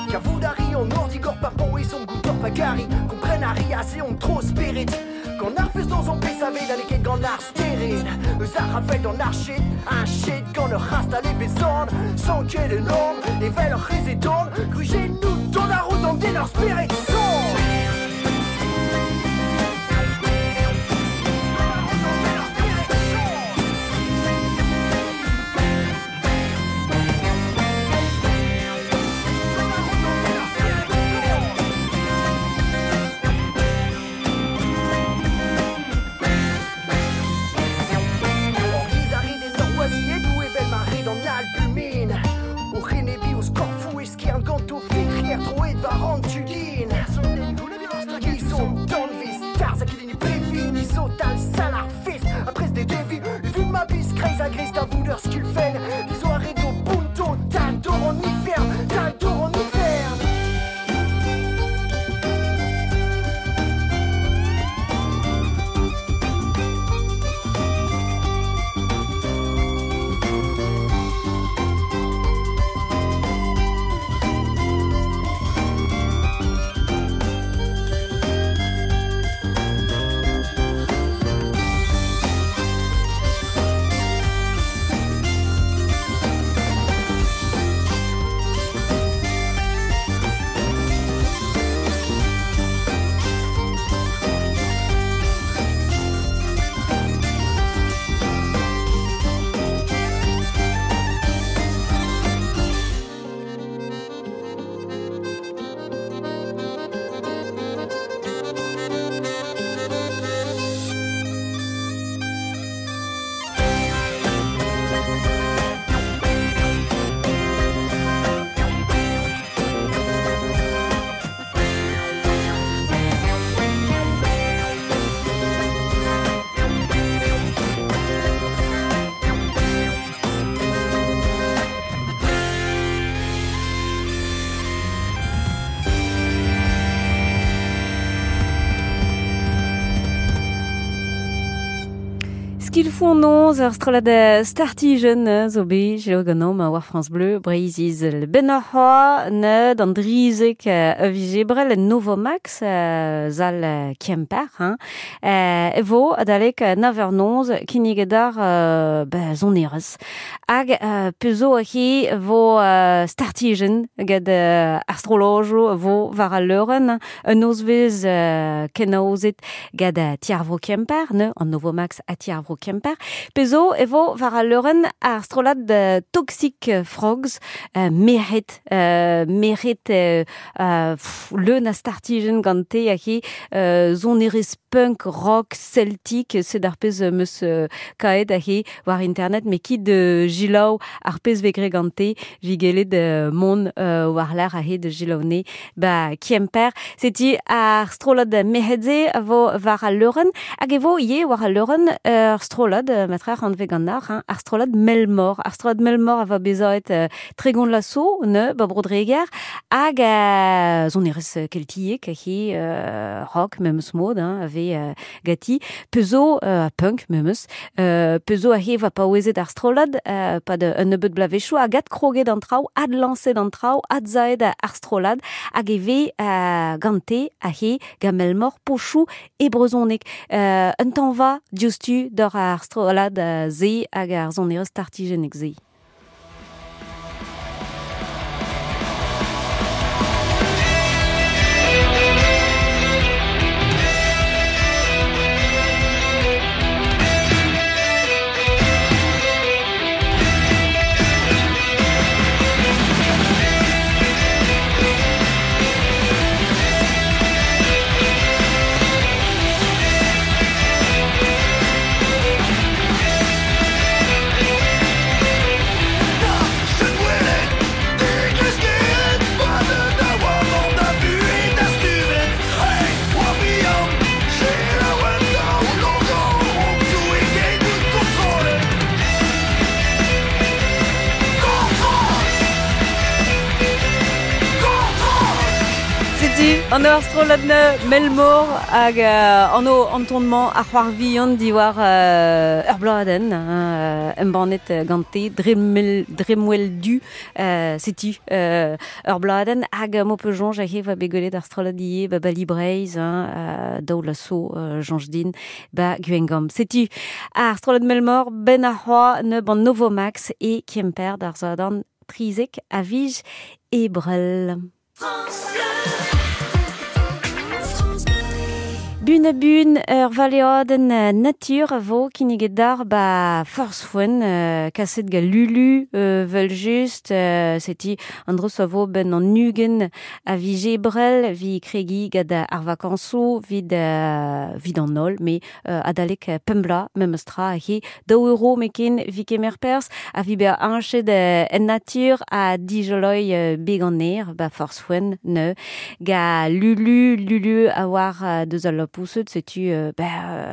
Kavout a ri an ordi gor pa pon e son goutor pa gari. Kompren a ri ase on tro spirit. Gant ar fus dans on pesave da leket gant ar sterin. Eus ar ravel d'an ar shit, un shit gant ur rast a levezon. Sans ket enorm, evel ur c'hez e dorn. Gruget nous dans la route an den ur spirit son. Skilfou an noz ur strollad startijen zo bet jelo ganeomp war France Bleu Breizh-Izel. Ben ar c'hoa neud an drizek a vijebrel en Novomax zal Kemper. Hein. E vo adalek nav eur noz kinniget ar ba zonerez. Hag pezo a hi vo startijen gant ar strollojo vo war al leuren un nozvez kenaozet gant Tiarvro Kemper, ne, an Novomax a Tiarvro Kemper. Pezo e vo war al leuren ar strollad uh, Toxic Frogs, uh, meret, uh, meret uh, uh, pff, leun a startijen gante a hi uh, zonerez punk, rock, celtic, sed ar pez meus uh, kaet a hi war internet, me kit de jilaou ar pez vegre gante, vigelet uh, mon uh, war l'ar a hi de jilaoune ba Kemper. Seti ar strollad meredze a vo war al leuren, hag e vo ie war al leuren ur strollad, matrer an vegan ar, hein, ar strollad Melmor. Ar strollad Melmor a va bezaet uh, tregon lasso, ne, ba brodreger, hag uh, zonerez keltiek, hi uh, rock, memes mod, hein, ave uh, gati, pezo, uh, punk, memes, uh, pezo a he va paouezet ar strollad, uh, pad un nebeud blavechoù, hag ad kroget an traoù, ad lañset an traoù, ad zaet ar strollad, hag e ve uh, gante a he ga Melmor pochoù e brezonek. Uh, un tanva diouzhtu d'ur ar strollad uh, ze hag ar zonerez startijenek ze. We'll be right back. An ur strollad Melmor hag uh, an o antonmañ ar c'hoar vihan diwar uh, ur bladenn hein, embannet gante dremel, dremwell du uh, setu uh, ur bladenn hag mo pe joñj hag va begolet ar strollad ie ba bali Breizh hein, uh, daou laso uh, joñj din ba Gwengam. Setu ar strollad Melmor ben ar c'hoar ne ban Novomax e Kemper d'ar zadan trizek a vij ebrel. Bun a bun ur valeadenn natur a vo kinniget d'ar ba forz foen euh, kaset ga Lulu euh, vel just euh, seti an dros a vo ben an nugen a vi jebrel vi kregi gad ar vakanso vid, euh, vid an ol me euh, adalek pembla memestra he daou euro meken vi kemer pers a vi be anchet en natur a dijoloi euh, beg an er ba forz foen ne ga Lulu Lulu a war euh, deus al pousset setu euh, ba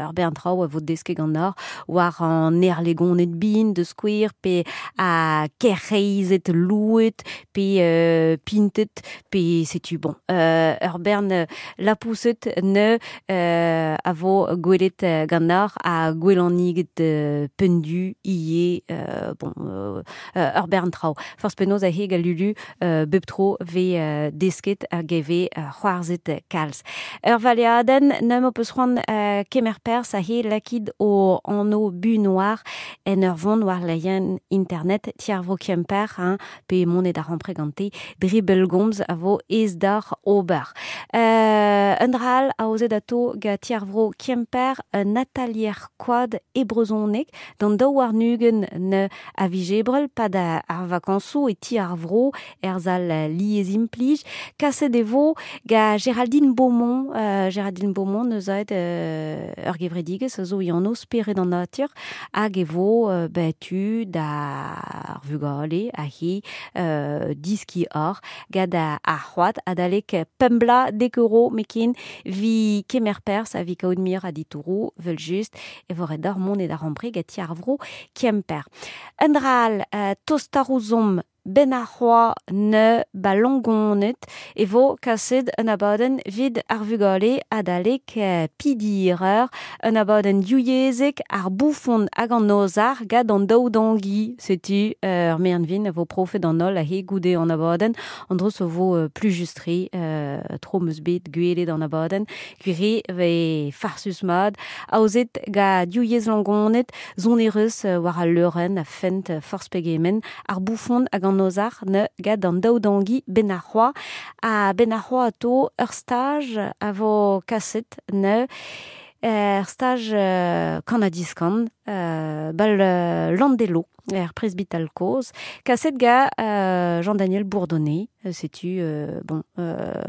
ur bern traoù a vo deske gant ar war an erlegonet bin de square pe a kerreizet louet pe euh, pintet pe setu bon euh, ur bern la pousset ne euh, a vo gwelet gant ar a gwelaniget euh, pendu ie euh, bon euh, ur bern traoù forz penaos a heg a Lulu euh, bep tro ve euh, desket hag e ve euh, c'hoarzhet kalz. Ur valeadenn nem o peus c'hoant euh, kemer pers a he lakid o anno bu noir en ur vont war laien internet tiar vo kemper hein, pe monet ar rampre gante dre belgomz a vo ez d'ar ober. Euh, un dral a ozet ato ga tiar vro kemper un atalier koad e brezonek d'an daou war nugen ne a vijebrel pad ar vakansou e tiar vro erzal liez implij kaset e vo ga Géraldine Beaumont euh, Géraldine Beaumont neus aet euh, ur gevredigez a zo yanno spered an natur hag e vo euh, ben, tu da ar vugale a he euh, diski or gad a, a c'hoad adalek pembla dek euro mekin vi kemer pers a vi kaout mir a ditourou vel just e vo ret d'ar mont e d'ar rampre gati ar vro kemper. Un dral euh, tostarouzom ben ar c'hoa ne ba longonet e vo kaset un abadenn vid ar vugale adalek euh, pidireur un abadenn diouyezek ar boufon hag an ozar gad an daou dangi setu ur euh, mernvin a vo profet an ol a he goude an abadenn an dros a vo euh, plus justre euh, tro meus bet gwelet an abadenn gwire ve farsus mad aozet ga diouyez longonet zonerus euh, war al leuren a fent euh, forz pegemen ar boufon hag an ozar ne gad an daou dangi ben ar c'hoa a ben ar c'hoa ato ur staj a vo kaset ne ur staj euh, kanadiskan euh, bal euh, landelo er presbytal koz kaset ga euh, Jean-Daniel Bourdonnet setu euh, bon euh,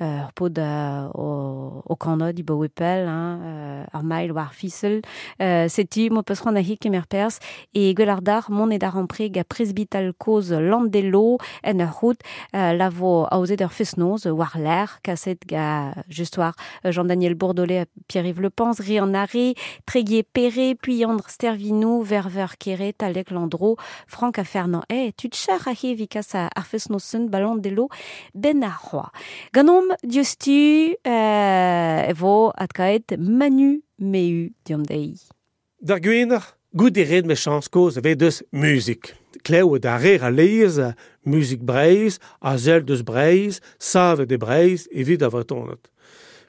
ur pod euh, o, o kanod i baouepel hein, euh, ar mail war fisel euh, setu mo peus c'hoant a he kemer pers e gwell ar d'ar mont e d'ar ampre ga presbytal koz landelo en ur rout euh, la vo aozet ur fest-noz war l'air kaset ga just war Jean-Daniel Bourdonnet Pierre-Yves Le Pans ri an arre Tréguier Perret Puyandre Stervinou Verver Kéré Talek Landro Franck a Fernand eh tud char a he vikas a ar fest-noz ba landelo ben ar c'hoa. Ganom diouzhtu euh, e vo adkaet Manu Mehu diom deiz. D'ar gwener, gout e red me chans koz ve deus muzik. Klev da rer a leiz, muzik Breizh, a zel deus Breizh, savet de Breizh evit a vretonet.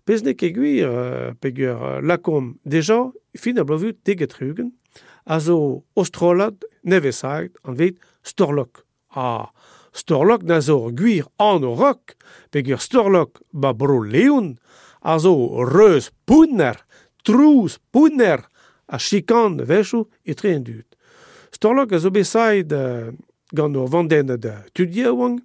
Pez ne ket gwir, peger lakom deja, fin a blovu teget rugen, a zo ostrolad nevesaet an vet Storlok. Ah, Storlok na zo gwir an o rock, peger Storlok ba bro Leon, a zo reuz pounner, trouz pounner, a chikan vechou e tre en dud. Storlok a zo besaet uh, gant ur vandenn da tud yaouank,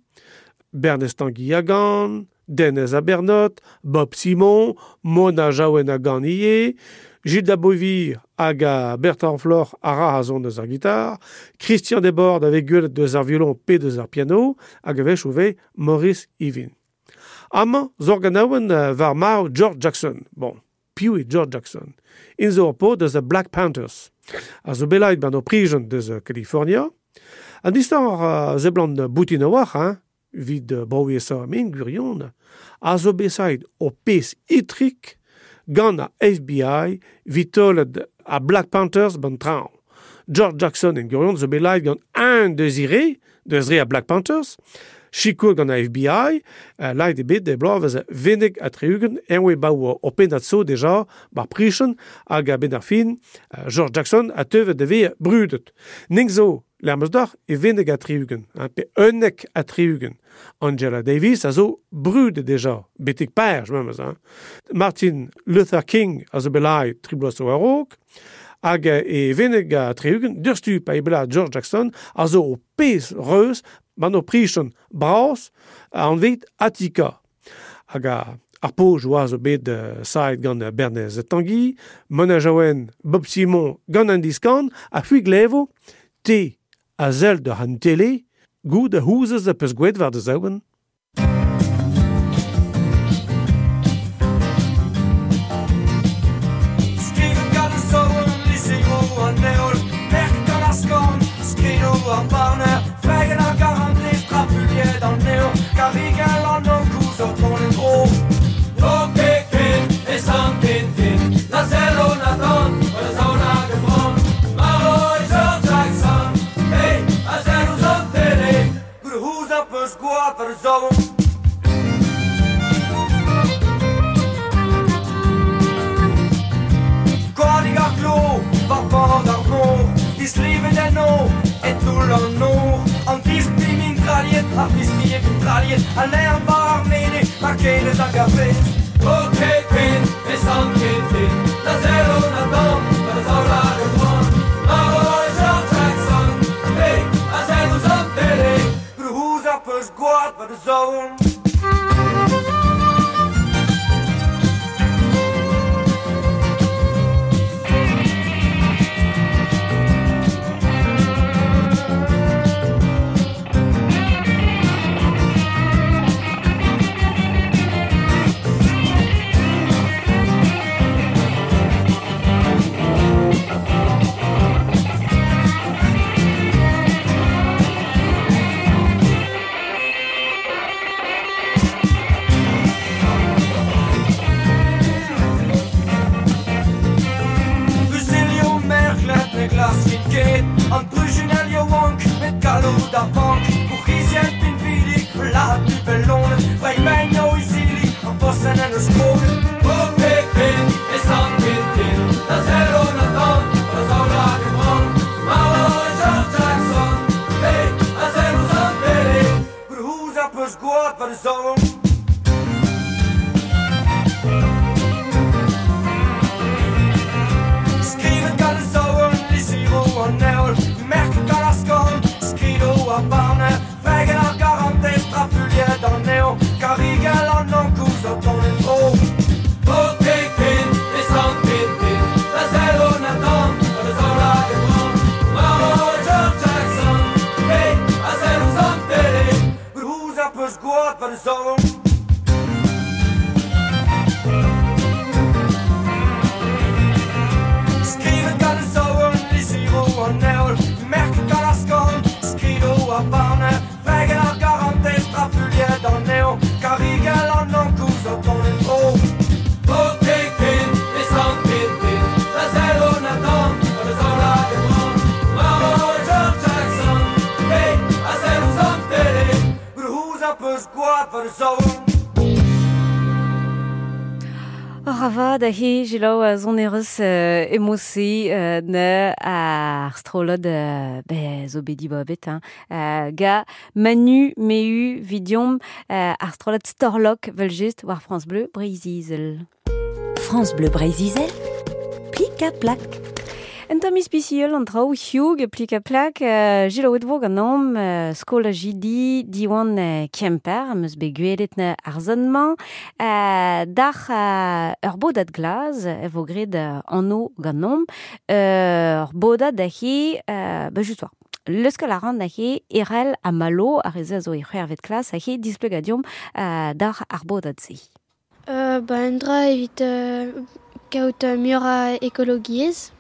Bernez Tanguy a gan, Denez a Bernot, Bob Simon, Mona Jaouen a gan ie, Gilles Dabovir hag a Bertrand Flor a ra a zon deus ar gitar, Christian Desbordes avec gwelet deus ar violon pe deus ar piano, hag a vech ouve Maurice Yvin. Amañ zorganaouen war mar George Jackson. Bon, piv eo George Jackson. In zo ur pod deus a Black Panthers. A zo belaet ban o prijen deus California. An distan ar uh, zeblant boutin a war, hein? vid broiesa men gurion, a zo besait o pez itrik gant a F B I vitolet a Black Panthers ban traoñ. George Jackson en gurion zo bet gant un deus deus re a Black Panthers, Chico gant a F B I, uh, laet ebet de bloaz venek a triugen, enwe baou o pennad so deja, bar prichen, hag a ben ar fin, uh, George Jackson a teuvet de ve brudet. Ning zo, lermeus d'or, e venek a triugen, hein, pe unnek a triugen. Angela Davis a zo brudet deja, betek perj, memes, hein. Martin Luther King a zo bet laet tri bloaz zo a-raok, hag e venek a triugen, durstu pa e bela George Jackson, a zo o pez reus, ban o prichen bras an vet Attica. Hag a, ar poj oa zo bet uh, saet gant Bernez Tanguy, Mona Jaouen, Bob Simon gant an diskan, a c'hui glevo, te a zel de han tele, goud a houzez a peus gwet war de zaouen. Skrivet gant an zouen, lisero an neol, merk gant ar skorn, skrido ar barner, fregen ar garantez, trafuliet an neo, karigel an ankouz o ton en dro. O keken, e san tintin, na zello Nathan, o da zaola gebran, Maro e George Jackson, hey, a zello zan tele, goede hoez a peus gwad war de zouen. Koadig ar klo, war bord ar mor, dislivet en o, et toull an nor, an dispi min traliet, ar dispi e min traliet, an aer bar ar mene, ma kenez hag ar vez. O keken, e san kentin, da zello Nathan, da zaola gebran, Maro e George Jackson, hey, a zello zan tele, goede hoez ar peus gwad war de zouen. An brujunel yo wank, met galloud ar bank, bourc'hizien pinvidik, la du bellonet, vrei yo izili, an bossen en eus kroget. O pepin, e san tintin, da zello Nathan, da zaola gebran, Maro e George Jackson, hey, a zello zan tele, goede hoez ar peus gwad war de zouen. Skrivet gant an zouen, lisiro an neol, merk gant ar skorn, skrido ar barner, fregen ar garantez, trafuliet an neo, karigel an ankouz o ton en dro. O keken, e san tintin, da zello Nathan, da zaola gebran, Maro e George Jackson, hey, a zello zan tele, goede hoez ar peus gwad war de zouen. Skrivet gant an zouen, lisiro an neol, merk gant ar skorn, skrido ar barner, fregen ar garantez, trafuliet an neo, karigel an ankouz o ton en dro. O keken, e san tintin, da zello Nathan, da zaola gebran, Maro e George Jackson, hey, a zello zan tele, goede hoez ar peus gwad war de zouen. Ravad a he jilaou a zon ereus euh, emose euh, ne ar strolod euh, be zo bedi babet hein. Euh, ga Manu Meu vidiom euh, ar strolod Storlok vel just war France Bleu Breizh-Izel. France Bleu Breizh-Izel, plik a plak. En tamm ispisiel an traoù hioug plik a plak, uh, jilaouet vo gant am uh, skol a jidi diwan uh, Kemper, am eus bet gwelet na ar zon-mañ, uh, d'ar uh, ur bodad glaz e vo graet uh, anno gant am, uh, ur bodad a he, uh, ba just war. Leuskel a ran a he erel a malo ar ez a zo e c'hwervet klas a he displegadiom uh, d'ar ar bodad se. Euh, ba un dra evit euh, kaout uh, muioc'h a ekologiezh.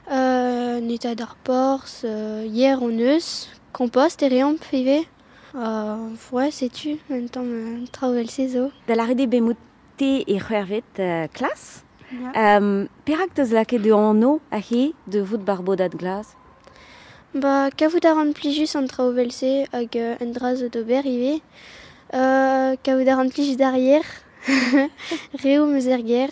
Euh, netaat ar porzh, euh, yer hon eus, kompost e reomp ivez. Uh, ouais, setu, un tamm euh, traoù vel-se zo. Da lâret eo bet te e c'hwec'hvet euh, klas. Ya. Um, perak teus lakaet da anv aze de vout bar bodad glas? Ba, kavout a ran plijus an traoù vel-se hag euh, un dra zo d'ober ivez. Euh, kavout a ran plijus d'ar yer. Reoù meus er gêr,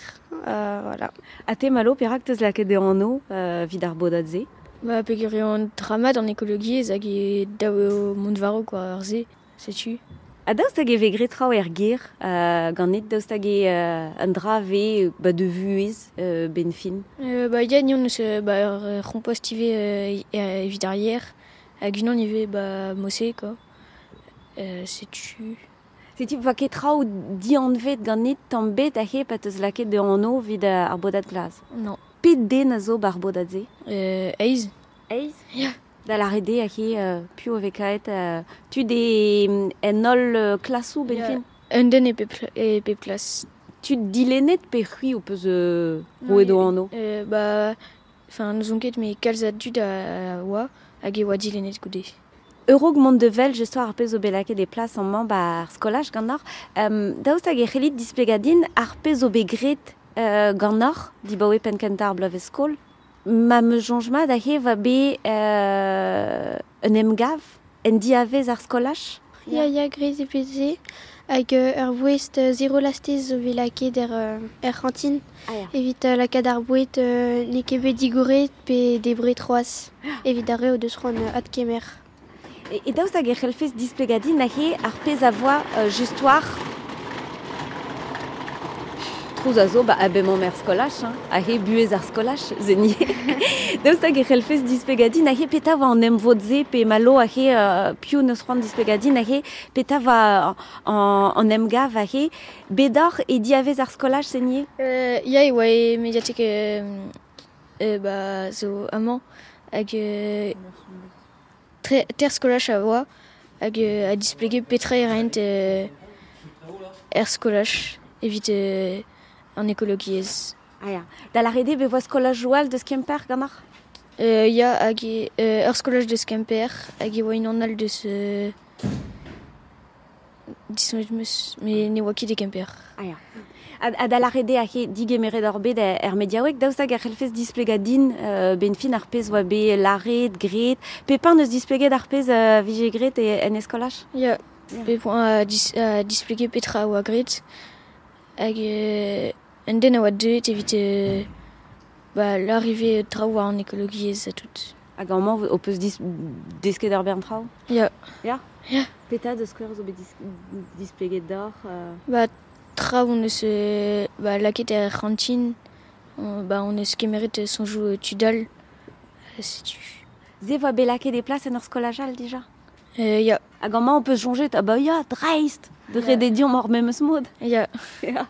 euh, voilà. Ha te Malo, perak teus lakaet da anv euh, evit ar bodad-se? Ba, peogwir eo an dra mat an ekologiezh hag eo dav eo mont war-raok war ar se, setu. Ha daoust hag e vez graet traoù er gêr euh, ganit, daoust hag eo euh, un dra vez ba, de vuhez euh, ben fin? Euh, ba, ya, ni on eus euh, ba, ur euh, c'hompost ivez euh, euh, evit ar yer, hag unan ivez ba, mose, quoi. Euh, setu. Setu va ket traoù dianvet ganit tamm bet aze pa teus lakaet da anv evit ar bodad glas? Non. Pet den a zo bar bodad-se? Euh, eizh. Eizh? Ya. Da lâret eo aze euh, piv a vez kaet euh, tud e en holl euh, klasoù ben Ya. fin? Un den e pep, e pep klas. Tud dilennet pe c'hwi ho peus euh, Non, roet o anv? Euh, ba, enfin, n'ouzon ket, met kalz a dud a, a oa hag e oa dilennet goude. Eurog mont de vel, jestoar ar pezh zo bet lakaet e plas amañ ba ar skolaj ganeoc'h. Um, daoust hag e c'hellit displegadin ar pezh zo bet graet euh, ganeoc'h dibaoe penn-kentañ ar bloavezh skol? Ma me soñj mat aze va bet euh, un emgav en diavez ar skolaj? Ya, ya, graet eo bet se. Hag euh, ur voest euh, zero lastez zo bet lakaet er, euh, er c'hantin. Ah, ya. Evit euh, lakaat ar boued euh, n'eo ket bet digoret pe debret c'hoazh. Evit ar re o deus c'hoant euh, adkemer. E, e daoust hag e c'hellfes displegadin aze ar pezh a voa euh, just war Trouz a zo, ba, a bemañ er skolaj, hein, aze buhez ar skolaj, zeni. Daoust hag e c'hellfes displegadin aze petra oa an emvod-se pe malo aze euh, piv neus c'hoant displegadin aze petra oa an, an emgav aze bedoc'h e diavez ar skolaj, zeni? Euh, ya, e oa e mediatek euh, euh, ba, zo amañ hag euh, tre, ter skolaj a oa hag euh, a displege petra e raent euh, er skolaj evit euh, an ekologiezh. Ah ya. Da lâret eo bet voa skolaj all deus Kemper ganeoc'h? Euh, ya, hag e, euh, ur skolaj deus Kemper hag e oa unan all deus euh, disoñjet 'm eus, met ne oa ket e Kemper. Ah ya. Ha, ha da lâret eo aze digemeret ur bet er mediaoueg, daoust hag a c'hellfes displegadin euh, ben fin ar pezh oa bet lâret, graet, Pepin neus displeget ar pezh euh, vije graet e, en eskolaj? Ya, Ya. Pep a, dis, a displege petra oa graet hag euh, un den a oa deuet evit euh, ba, l'arrivée traoù war an ekologiezh ha tout. Hag amañ ho peus dis, desket ar bern traoù? Ya. Ya? Ya. Petra deus skouer zo bet dis, displeget deoc'h euh... Ba, traoù on eus euh, ba, lakaet er c'hantin, on, ba, on eus kemeret soñjoù euh, tud all, euh, setu. Se voa bet lakaet e plas en ur skolaj all dija? Euh, ya. Hag amañ on peus soñjet, ah ba ya, dreist! De Ya. ret eo deomp ar memes mod. Ya. Ya.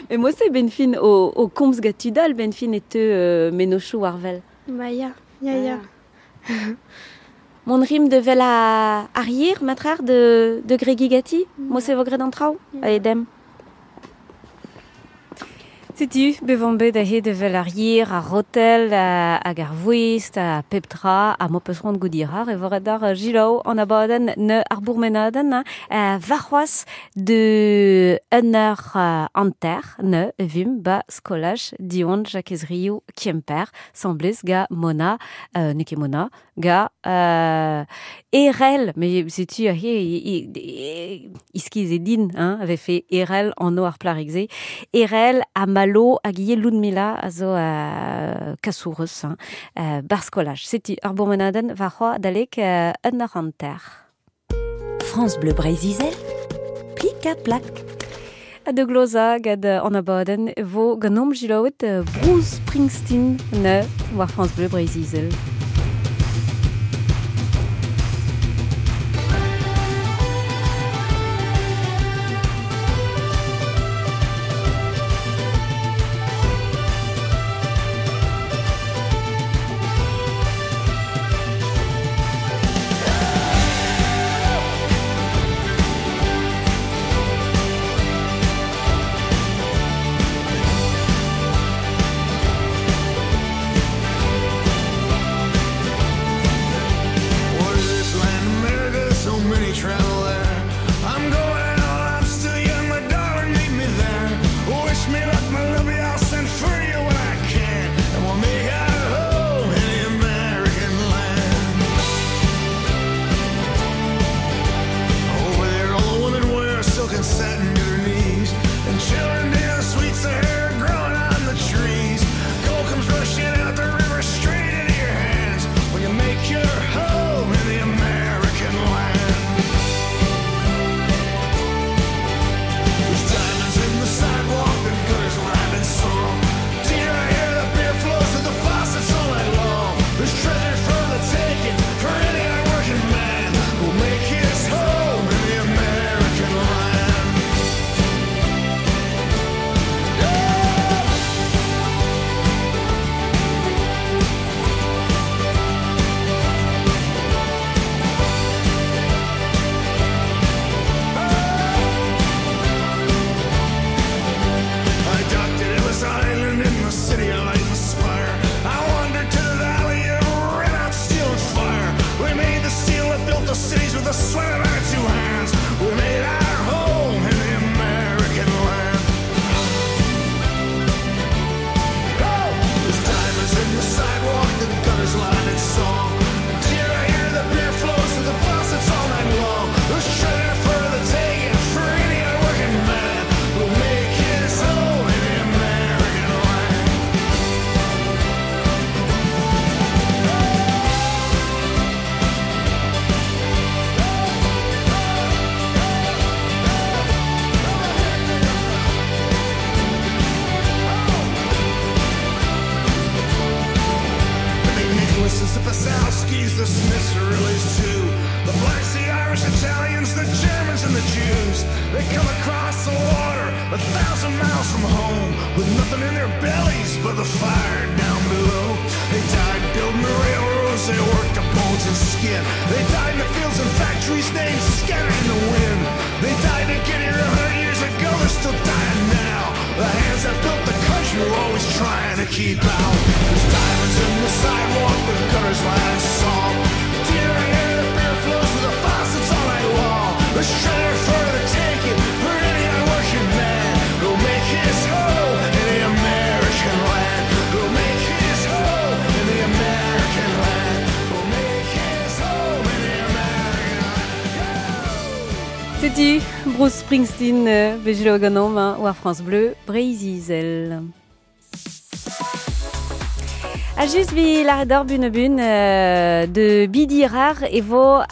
Mais moi c'est ben fin o, o komz gant tud all ben fin e teu euh, mennozhioù war wel. Ba ya, ya, ya. Mon rim de vel a arrière, matrar de, de Grégi Gatti, mo se vo graet an traoù, Allez, dem. Setu, bevan bet aze de vel ar yer, ar rotel, a, hag ar voest, a pep tra, a mo peus c'hoant goût ar, e voret ar jilaou an abadenn ne ar bourmenadenn, hein, euh, warc'hoazh de un eur euh, hanter ne vim ba skolaj Diwan Jakez Riou Kemper, semblez ga Mona, euh, n'eo ket Mona, ga euh, Erel, mais setu aze iskiz e din, hein, avait fait Erel an o ar plarik-se. Erel ha Malo hag ivez Ludmila a zo euh, kasourez, hein, euh, bar skolaj. Setu ar bourmenadenn warc'hoazh adalek euh, un eur hanter. France Bleu Breizh-Izel, plik ha plak. Ha de gloza gant an abadenn vo ganeomp jilaouet euh, Bruce Springsteen ne war France Bleu Breizh-Izel. Thank cities with the sweat of our two hands. We made our home in the American land. Oh, there's diamonds in the sidewalk, the gutters lined in song. Dear, I hear the beer flows through the faucets all night long. There's treasure for the taking for any hardworking man who'll make his home in the American land. The McNicholases, the Pasalskis, the Smiths, Rilleys too. The blacks, the Irish, Italians, the Germans, and the Jews. They come across the water a thousand miles from home with nothing in their bellies but the fire down below. They died building the railroads, they worked the bones and skin. They died in the fields and factories, names scattered in the wind. They died to get here a hundred years ago, they're still dying now. The hands that built the country were always trying to keep out. There's diamonds in the sidewalk, the gutters line song. Dear, I hear the beer flows through the faucets all night long. There's treasure for the taking for any hardworking man who'll make his home in the American land. Who'll make his home in the American land. Who'll make his home in the American land. Setu Bruce Springsteen euh, bejelo ganom hein, war France Bleu, Breizh-Izel. A just vi l'arredor bun bun euh, de Bidi rar e vo